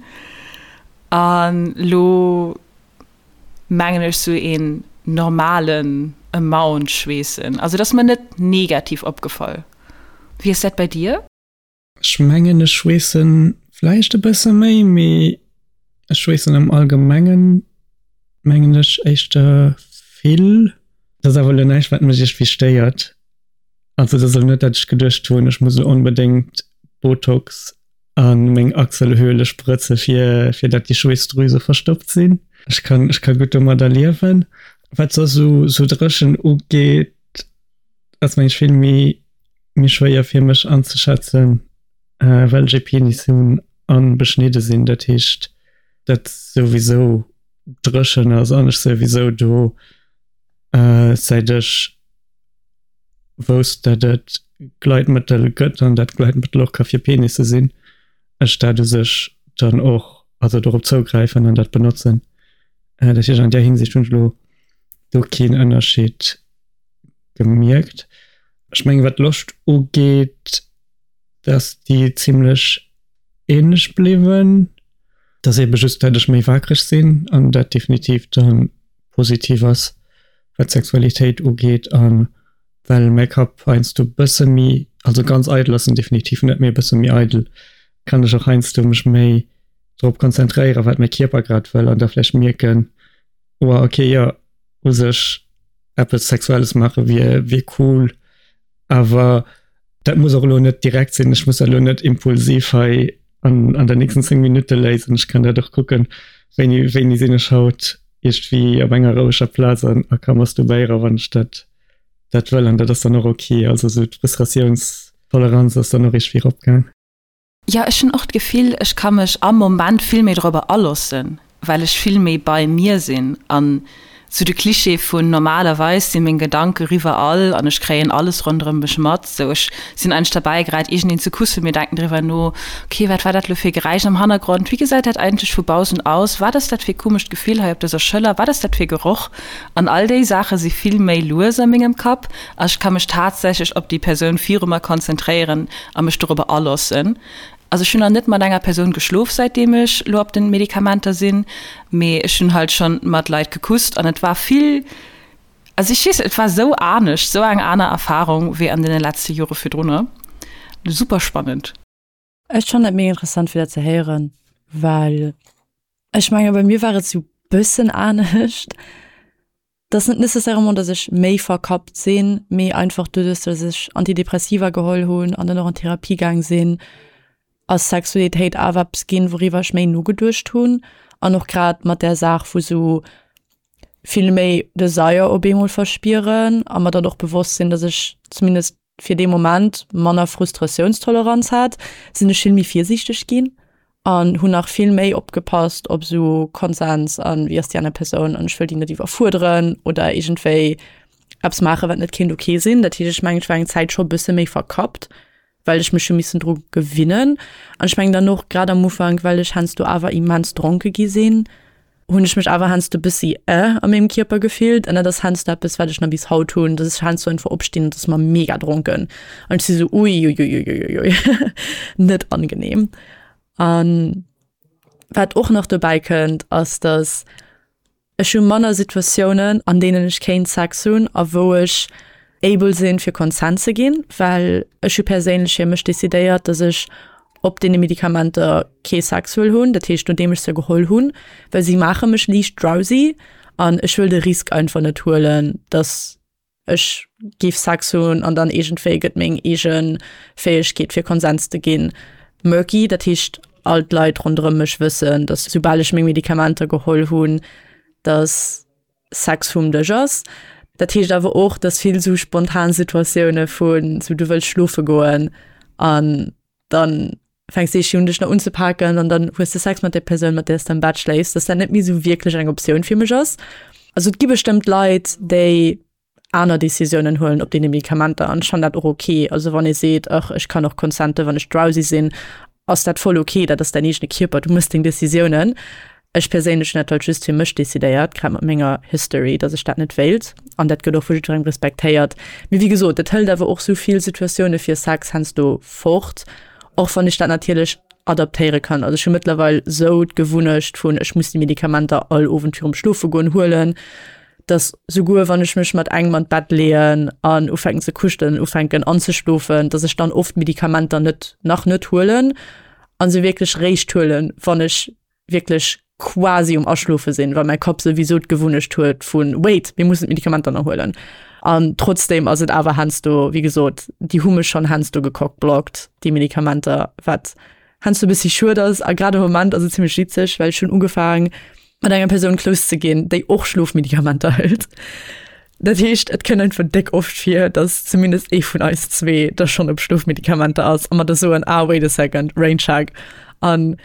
Speaker 1: An lo mengen ech sou een normalen Amount schweessen. Also et ass mer net negativ opgefall. Wéi ass dat bei dir?
Speaker 3: Ech mengen ech schweessen vläicht e bësse méi, mee ech schweessen am Allgemengen mengen ech éischter vill. Dat ass awer elo näischt wat mech iergendwéi stéiert. Also dat ass elo net dat ech geduecht hunn ech muss elo onbedéngt Botox a meng Achselhöhle sprëtze fir fir dat déi Schweessdrüse verstoppt sinn. Ech kann ech ka gutt domadder liewen. Wat soss esou sou dréchen ugeet ass mengen ech vill méi méi schwéier fir mech anzeschätzen, well ech ee Penis hunn a beschnidde sinn. Dat heescht, dat souwisou dréchen ass an ech souwisou do säit ech wousst, dat et Gleitmëttel gëtt an dat Gleitmëttel och ka fir Penisse sinn, ech dat u sech dann och, also dorop zougräifen an dat benotzen. Dat heescht, an där Hinsicht hunn ech elo do keen Ënnerscheed gemierkt. Ech mengen, wat d'Loscht ugeet, dass déi zimlech ähnlech bliwwen. Dass ebe just, dat ech méi waakreg sinn an dat definitiv dann positiv ass. Wat d'Sexualitéit ugeet an well mäi Kapp heiansdo bësse méi, also ganz eidel ass en definitiv net, mee e bësse méi eidel, kann ech och heiansdo mech méi drop konzentréieren, wat mäi Kierper grad wëll an da vläicht mierken, oh okay, jo, u sech eppes Sexuelles maache wier, wier cool, awer dat muss och elo net direkt sinn, ech muss dat elo net impulsiv hei an, an der nächsten 10 Minutte léisen, ech kann dat och kucken, wéini, wéini sinn ech haut iergendwéi op enger roueger Plaz an a ka masturbéieren, wann ech dat, dat wëll an dat ass dann och ok. Also esou d'Frustratiounstoleranz ass dann och iergendwéi eropgaang.
Speaker 1: Jo, ech hunn och d'Gefill, ech ka mech am Moment vill méi dorobber aloossen, well ech vill méi bei mir sinn. An sou de Cliché vun normalerweis si meng Gedanke riwwerall an ech kréien alles ronderëm mech mat, sou ech sinn eigentlech derbäi grad iergendeen ze kussen, mir denken driwwer no, ok, wat war dat elo fir e Geräisch am Hannergrond, wéi gesäit dat eigentlech vu baussen aus, wat ass dat fir e komescht Gefill hei op dëser Schëller, wat ass dat fir e Geroch? An all déi Saache si vill méi lues a mengem Kapp a ech ka mech tatsächlech op déi Persoun viru mer konzentréieren a mech dorobber aloossen. Also ech hunn nach net mat enger Persoun geschlof säitdeem ech lo op den Medikamenter sinn, mee ech hunn halt schonn mat Leit gekusst an et war vill, also ech weess net, et war sou anescht, sou eng aner Erfarung wéi an deene letzte Jore virdrunner. Super spannend.
Speaker 2: Ech fannen et mega interessant fir dat ze héieren, well ech menge bei mir war et sou bëssen anescht. Et ass net nécessairement, datt ech méi verkappt sinn, mee einfach doduerch, datt ech Antidepressiva geholl hunn an dann och an Therapie gaang sinn, ass Sexualitéit awer eppes ginn, wouriwwer ech méi nogeduecht hunn an och grad mat där Saach vu sou vill méi Desire op eemol verspieren a mer dann och bewosst sinn, datt ech zumindest fir dee Moment manner Frustratiounstoleranz hat, sinn ech vill méi virsiichteg ginn an hunn nach vill méi opgepasst op esou Konsens an wéi ass déi aner Persoun an ech wëll déi net iwwerfuerderen oder iergendwéi eppes maachen, wat net kéint ok sinn. Dat heescht, ech mengen, ech war eng Zäit scho e bësse méi verkappt, well ech mech hu missen dru gewinnen. An ech mengen dann och grad am Ufank, well ech heiansdo awer immens dronke gi sinn, hunn ech mech awer heiansdo e bëssi eh a mengem Kierper gefillt an dat ass heiansdo eppes wat ech nach bis haut hunn, dass ech heiansdo einfach opstinn an et ass mer mega dronken an ech si sou uiuiuiuiui net angenehm. An wat och nach dobäi kënnt ass, dass ech hu manner Situatiounen an deenen ech kéint Sex hunn a wou ech able sinn fir Consent ze ginn, well ech hu perséinlech fir mech decidéiert, dass ech op deene Medikamenter kee Sex wëll hunn, dat heescht nodeem ech se geholl hunn, well si maache mech liicht drowsy an ech wëll de Risk einfach net huelen, dass ech géif Sex hunn an dann iergendwéi gëtt meng eege Fäegkeet fir Konsens ze ginn murky. Dat heescht all d'Leit ronderëm mech wëssen, dass soubal ech meng Medikamenter geholl hunn, dass Sex vum Dësch ass. Dat heescht awer och, dass vill sou spontan Situatioune vun sou du wëlls schlofe goen an dann fänks de un dech nach unzepaken an dann hues de Sex mat der Persoun, mat där s de am Bett schléifs, dass dat net méi sou wierklech eng Optioun fir mech ass. Also et gi bestëmmt Leit, déi aner Decisiounen huelen op deene Medikamenter an ech fannen dat och ok. Also wann ee seet, ach ech kann och consenten, wann ech drowsy sinn, ass dat voll ok, dat ass däin eegene Kierper, du mëss deng Decisiounen. Ech perséinlech hunn dat halt just fir mech decidéiert, grad mat menger History, dass ech dat net wéilt an dat gëtt och vu jiddwerengem respektéiert. Mee wéi gesot, dat hëlt awer och sou vill Situatioune fir Sex heiansdo fort, och wann ech dat natierlech adaptéiere kann. Also ech hu mëttlerweil sou d'Gewunnecht vun, ech muss déi Medikamenter all Owend virum Schlofegoen huelen, dass souguer wann ech mech mat engem an d'Bett leeën an ufänken ze kuschelen, ufänken anzeschlofen, dass ech dann oft d'Medikamenter net, nach net huelen an se wierklech réischt huelen, wann ech wierklech quasi um Aschlofe sinn, well mäi Kapp souwisou d'Gewunnecht huet vun wait, mir mussen d'Medikamenter nach huelen. An trotzdem ass et awer heiansdo, wéi gesot, déi hu mech schonn heiansdo gecockblockt, déi Medikamenter, wat heiansdo e bëssi schued ass. A grad am Moment ass et zimmlech witzeg, well ech hunn ugefaang mat enger Persoun close ze ginn, déi och Schlofmedikamenter hëlt. Dat heescht, et kënnt einfach déck oft vir, dass zumindest ee vun eis zwee da schonn op Schlofmedikamenter ass a mer da soen, ah wait a second, rain check. An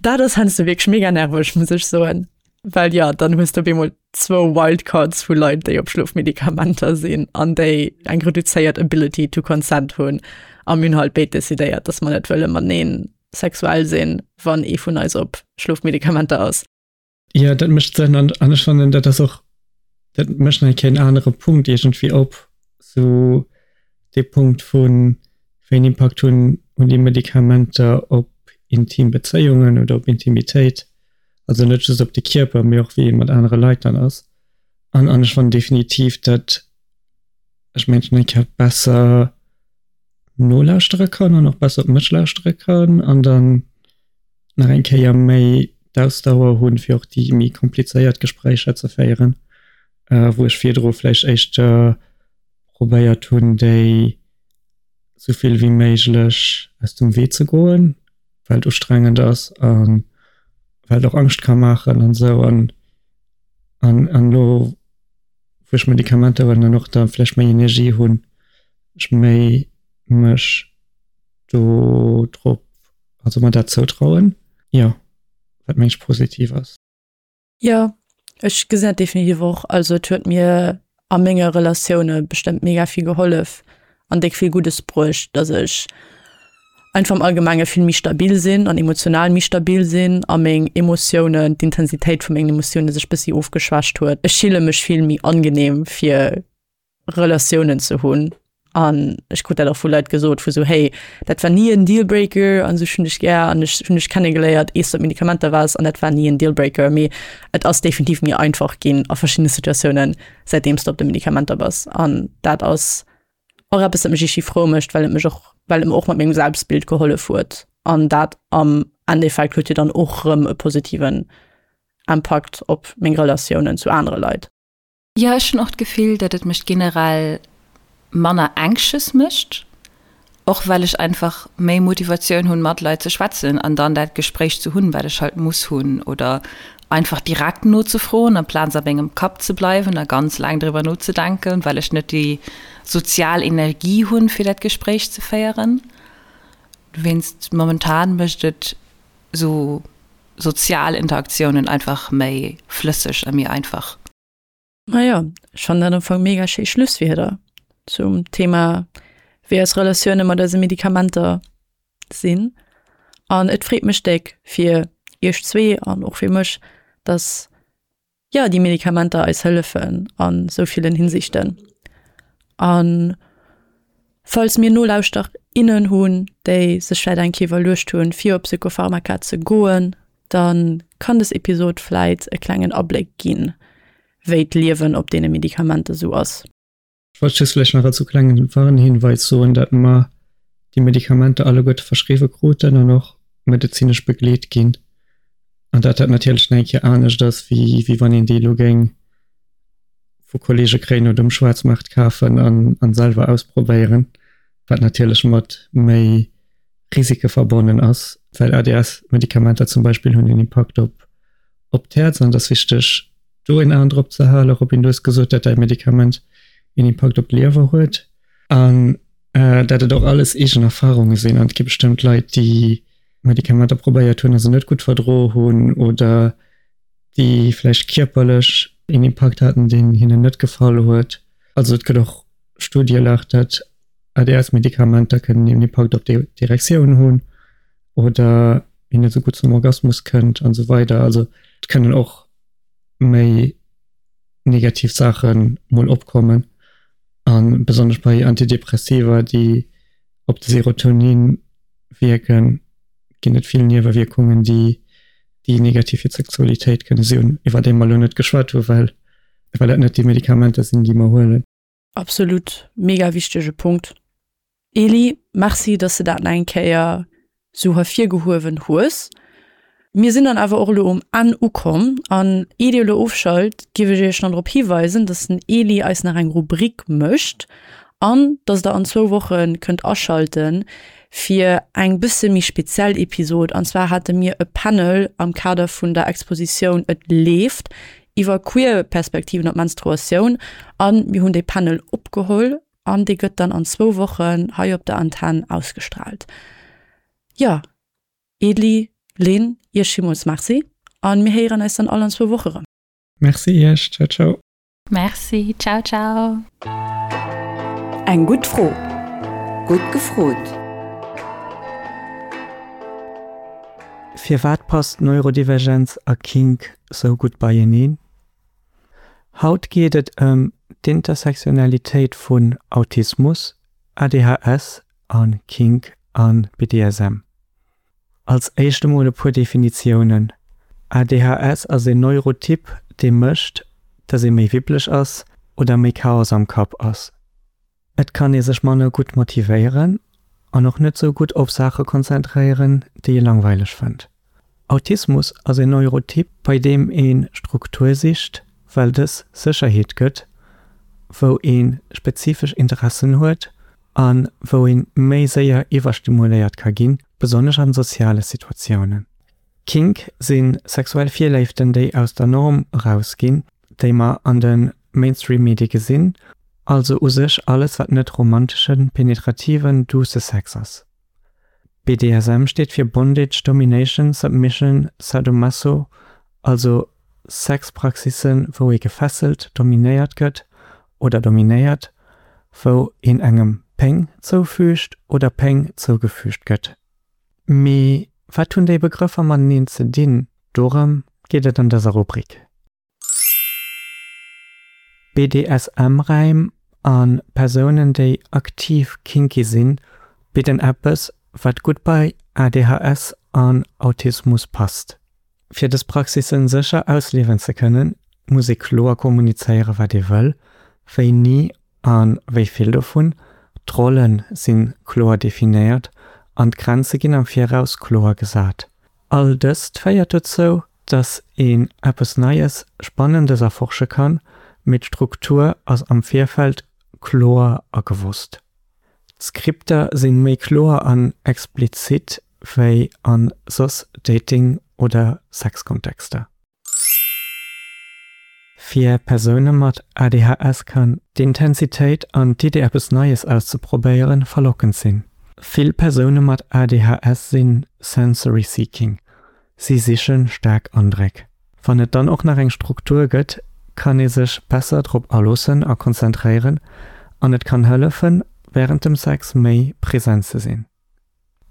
Speaker 2: dat ass heiansdo wierklech mega nerveg, muss ech soen, well jo, dann hues de op eemol zwou Wildcards vu Leit, déi op Schlofmedikamenter sinn an déi eng reduzéiert Ability to consent hunn. A mir hunn halt béid decidéiert, dass mer net wëlle matenee sexuell sinn, wann ee vun eis op Schlofmedikamenter ass.
Speaker 3: Jo, dat mécht Sënn an an ech fannen, dat ass och, dat mécht nach eng Kéier en anere Punkt iergendwéi op, sou dee Punkt vun, wéi en Impakt hunn hunn déi Medikamenter op intim Bezéiungen oder op Intimitéit, also net just op de Kierper, mee och wéi ee mat anere Leit dann ass. An an ech fannen definitiv, datt ech Mënschen eng Kéier besser nolauschtere kann an och besser op mech lauschtere kann an dann nach eng Kéier méi d'Ausdauer hunn, fir och déi méi komplizéiert Gespréicher ze féieren, wou ech virdru vläicht éischter probéiert hunn, déi sou vill wéi méiglech aus dem Wee ze goen, well et ustrengend ass a well et och Angscht ka maachen an esou. An an an elo wou ech Medikamenter huelen an och da vläicht méi Energie hunn, ech méi mech do drop, also mer dat zoutrauen, jo, wat meng ech positiv ass.
Speaker 2: Jo, ech gesinn dat definitiv och. Also et huet mir a menge Relatioune bestëmmt mega vill gehollef an déck vill Guddes bruecht, dass ech einfach am Allgemenge vill méi stabil sinn an emotional méi stabil sinn a meng Emotiounen, d'Intensitéit vu mengen Emotioune sech bëssi ofgeschwächt huet. Ech fille mech vill méi angenehm fir Relatiounen ze hunn an ech krut dat och vu Leit gesot vu sou hey dat war ni en Dealbreaker an sou ech hunn dech gär an ech hunn dech kennegeléiert ees du op Medikamenter waars an dat war ni en Dealbreaker mee et ass definitiv méi einfach ginn a verschiddene Situatiounen säitdeems du op de Medikamenter bass an dat ass och eppes dat mech ischi frou mécht well et mech och well et mer och mat mengem Selbstbild gehollef huet an dat am Endeffekt huet jo dann och rëm e positiven Impakt op meng Relatiounen zu anere Leit.
Speaker 1: Jo, ech hunn och d'Gefill, datt et mech generell manner anxious mécht, och well ech einfach méi Motivatioun hunn, mat Leit ze schwätzen an dann dat Gespréich ze hunn, wat ech halt muss hunn oder einfach direkt nozefroen, amplaz a mengem Kapp ze bleiwen a ganz laang driwwer nozedenken, well ech net déi sozial Energie hunn, fir dat Gespréich ze féieren. Dowéinst, momentan mécht et esou sozial Interaktiounen einfach méi flësseg a méi einfach.
Speaker 2: Majo, ech fannen dat am Fong mega schéi Schlusswierder zum Thema, wéi eis Relatioune mat eise Medikamenter sinn. An et freet mech déck fir iech zwee an och fir mech, dass jo déi Medikamenter eis hëllefen an esou villen Hinsichten. An falls mir Nolauschter, innen hunn, déi sech vläit eng Kéier iwwerluecht hunn, fir op Psychopharmaka ze goen, dann kann des Episod vläit e klengen Abléck ginn, wéi d'Liewen op deene Medikamenter sou ass.
Speaker 3: Ech wollt just vläicht nach als klengen Warnhinweis soen, dat mer déi Medikamenter alleguerte verschriwwe kruten an och medezinesch begleet ginn an dat dat natierlech nach eng Kéier anescht ass, wéi wéi wann een déi elo géing vu Kollege kréien oder um Schwaarzmaart kafen an an selwer ausprobéieren, wat natierlech mat méi Risike verbonnen ass, well ADS-Medikamenter zum Beispill hunn en Impakt op op d'Häerz an et ass wichteg do een Aen drop ze halen. Robin, du hues gesot, dat däi Medikament een Impakt op d'Liewer huet an dat et och alles eegen Erfarunge sinn an et gi bestëmmt Leit, déi Medikamenter probéiert hunn a se net gutt verdro hunn oder déi vläicht kierperlech een Impakt haten, deen hinnen net gefall huet. Also et gëtt och Studie lach, dat ADS-Medikamenter kënnen een Impakt op d'Erektioun hunn oder een net esou gutt zum Orgasmus kënnt an esou weider. Also et kënnen och méi negativ Saache mol opkommen a besonnesch bei Antidepressiva, déi op de Serotonin wierken, ginn et vill Niewewierkungen, déi déi negativ fir d'Sexualitéit kënne sinn, iwwer déi mer elo net geschwat hunn, well well dat net déi Medikamenter sinn, déi mer huelen.
Speaker 2: Absolut, mega wichtege Punkt. Eli, merci, dass de dat nach eng Kéier sou hervirgehuewen hues. Mir sinn dann awer och elo um Enn ukomm an ier dir elo ofschalt, giff ech iech nach drop hiweisen, dass den Eli eis nach eng Rubrik mécht an dass der an zwou Woche kënnt aschalten fir eng bësse méi speziell Episod. An zwar hate mir e Panel am Kader vun der Expositioun Et leeft iwwer queer Perspektiven op Menstruatioun an mir hunn dee Panel opgeholl an dee gëtt dann an zwou Wochen hei op der Antenn ausgestrahlt. Jo, Edli, Lynn, iech villmools Merci an mir héieren eis dann all an zwou Woche rëm.
Speaker 3: Merci iech, ciao ciao.
Speaker 1: Merci, ciao ciao.
Speaker 6: Eng gutt Fro, gutt gefrot.
Speaker 3: Firwat passt Neurodivergenz a Kink sou gutt beieneen? Haut geet et ëm d'Intersektionalitéit vun Autismus, ADHS a Kink a BDSM. Als éischt emol e puer Definitiounen, ADHS ass een Neurotyp, dee mécht, dass ee méi wibbeleg ass oder méi Chaos am Kapp ass. Et kann ee sech manner gutt motivéieren an och net sou gutt op Saache konzentréieren, déi ee langweileg fënnt. Autismus ass een Neurotyp, bei deem ee Struktur sicht, well dës Sécherheet gëtt, wou ee spezifesch Interessen huet a wou ee méi séier iwwerstimuléiert ka ginn, besonnesch an soziale Situatiounen. Kink si sexuell Virléiften, déi aus der Norm erausginn, déi mer an de Mainstream-Medie gesinn, also u sech alles wat net romanteschen, penetrativen, duusse Sex ass. BDSM steet fir Bondage, Domination, Submission, Sadomaso, also Sexpraxissen, wou ee gefesselt, dominéiert gëtt oder dominéiert, wou een engem Péng zoufüügt oder Péng zougefügt gëtt. Mee wat hunn déi Begrëffer mateneen ze dinn? Dorëm geet et an dëser Rubrik. BDSM-Räim a Persounen, déi aktiv kinky sinn, bidden eppes, wat gutt bei ADHS an Autismus passt. Fir dës Praxissen sécher ausliewen ze kënnen, muss ee kloer kommunizéieren, wat ee wëll, wéini a wéi vill dovun. D'Rolle si kloer definéiert an d'Grenze ginn am Viraus kloer gesat. All dëst féiert dozou, dass een eppes Neies, Spannendes erforsche kann, mee d'Struktur ass am Virfeld kloer a gewosst. D'Skripter sinn méi kloer an explizit wéi an soss Dating oder Sexkontexter. Fir Persoune mat ADHS kann d'Intensitéit an d'Idee eppes Neies auszeprobéieren verlockend sinn. Vill Persoune mat ADHS sinn sensory seeking, si siche staark Andréck. Wann et dann och nach eng Struktur gëtt, kann ee sech besser drop aloossen a konzentréieren an et kann hëllefen, wärend dem Sex méi present ze sinn.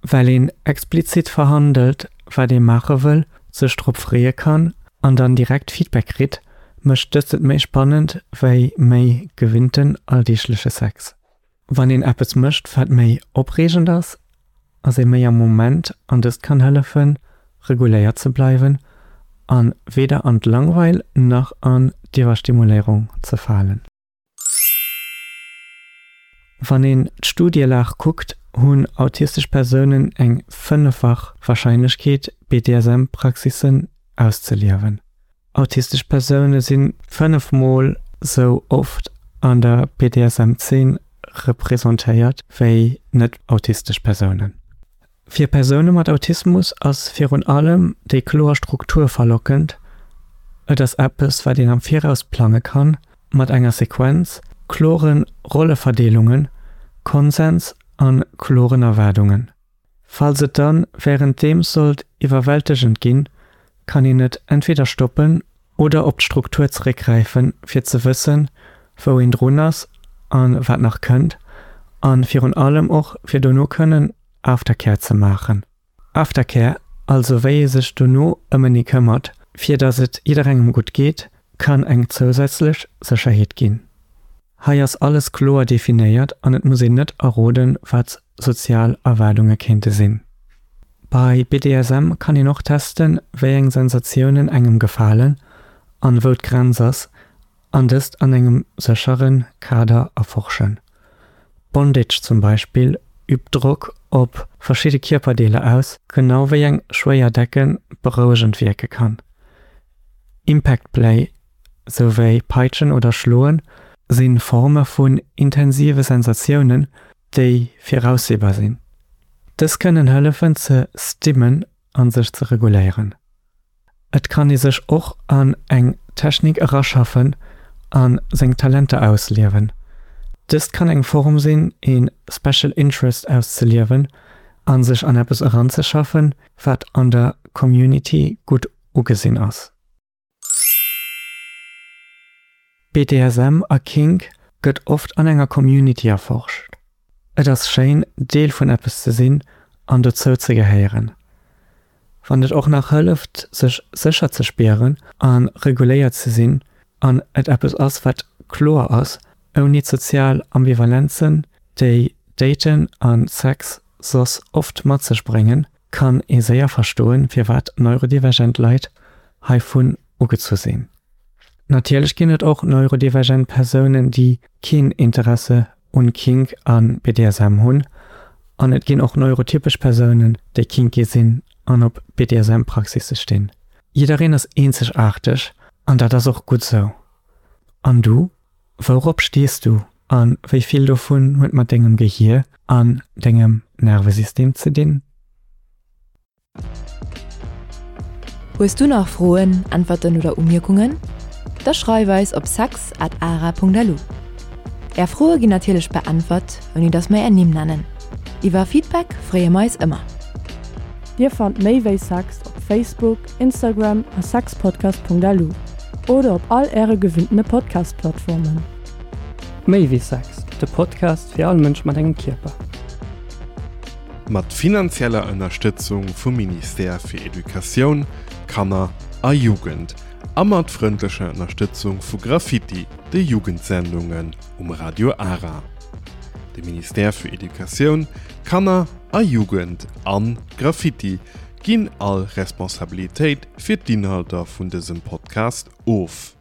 Speaker 3: Well een explizit verhandelt, wat ee maache wëll, sech drop freeë kann an dann direkt Feedback kritt, mécht dëst et méi spannend wéi méi gewinnten alldeegleche Sex. Wann een eppes mécht, wat méi opreegend ass, ass ee méi am Moment an dëst kann hëllefen, reguléiert ze bleiwen a weder an d'Langweil nach an d'Iwwerstimuléierung ze falen. Wann een d'Studielag kuckt, hunn autistesch Persounen eng fënneffach Warscheinlechkeet, BDSM-Praxissen auszeliewen. Autistesch Persoune si 5 mol sou oft an der BDSM-Zeen representéiert wéi net-autistesch Persounen. Fir Persoune mat Autismus ass virun allem déi kloer Struktur verlockend, et ass eppes wat een am Viraus plange kann, mat enger Sequenz, klore Rolleverdeelungen, Konsens a kloren Erwaardungen. Falls et dann währenddeems sollt iwwerwältegend ginn, kann een et entweder stoppen oder op d'Struktur zeréckgräifen fir ze wëssen wou een drun ass an wat nach kënnt an virun allem och fir dono kënnen Aftercare ze maachen. Aftercare, also wéi ee sech dono ëmenee këmmert fir dass et jidderengem gutt geet, kann eng zousätzlech Sécherheet ginn. Hei ass alles kloer definéiert an et muss een net erroden, wat sozial Erwaardunge kéinte sinn. Bei BDSM kann een och testen, wéi eng Sensatiounen engem gefalen an wou d'Grenz ass, an dëst an engem séchere Kader erforschen. Bondage zum Beispill übt Drock op verschidde Kierperdeeler aus, genau wéi eng schwéier Decke berouegend wierke kann. Impact Play sou wéi Peitschen oder Schloen, si Forme vun intensive Sensatiounen, déi viraussehbar sinn. Dës kënnen hëllefen ze stimmen a sech ze reguléieren. Et kann ee sech och an eng Technik eraschaffen a seng Talenter ausliewen. Dëst kann eng Form sinn, ee Special Interest auszeliewen a sech an eppes eranzeschaffen, wat an der Community gutt ugesinn ass. BDSM a Kink gëtt oft an enger Community erforscht. Et ass schéin, Deel vun eppes ze sinn an dozou ze gehéieren. Wann et och nach hëlleft, sech sécher ze spieren a reguléiert ze sinn an et eppes ass, wat kloer ass, ouni d'sozial Ambivalenzen, déi Daten a Sex soss oft mat sech bréngen, kann ee séier verstoen, firwat neurodivergent Leit heivun ugezu sinn. Natierlech ginn et och neurodivergent Persounen, déi keen Interesse un Kink a BDSM hunn, an et ginn och neurotypesch Persounen, déi kinky sinn an op BDSM-Praxisse stinn. Jiddereen ass eenzegaarteg an dat ass och gutt sou. An du? Wourop stees du a wéi vill dovun huet mat dengem Gehier an dengem Nervesystem ze dinn?
Speaker 6: Hues du nach Froen, Äntwerten oder Umierkungen? Da schreif eis op sex at ara.lu. Är Froe ginn natierlech beäntwert, ouni dass mer är Nimm nennen. Iwwer Feedback freeë mer eis ëmmer.
Speaker 2: Dir fannt méi wéi Sex op Facebook, Instagram a sexpodcast.lu oder op all äre gewinntene Podcast-Plattformen.
Speaker 3: Méi wéi Sex, de Podcast fir all Mënsch mat engem Kierper.
Speaker 4: Mat finanzieller Ënnerstëtzung vum Ministère fir Educatioun, Kanner a Jugend a mat frëndlecher Ënnerstëtzung vu Graffiti, de Jugendsendungen um Radio Ara. De Ministère fir Educatioun, Kanner a Jugend an Graffiti ginn all Responsabilitéit fir d'Inhalter vun dësem Podcast of.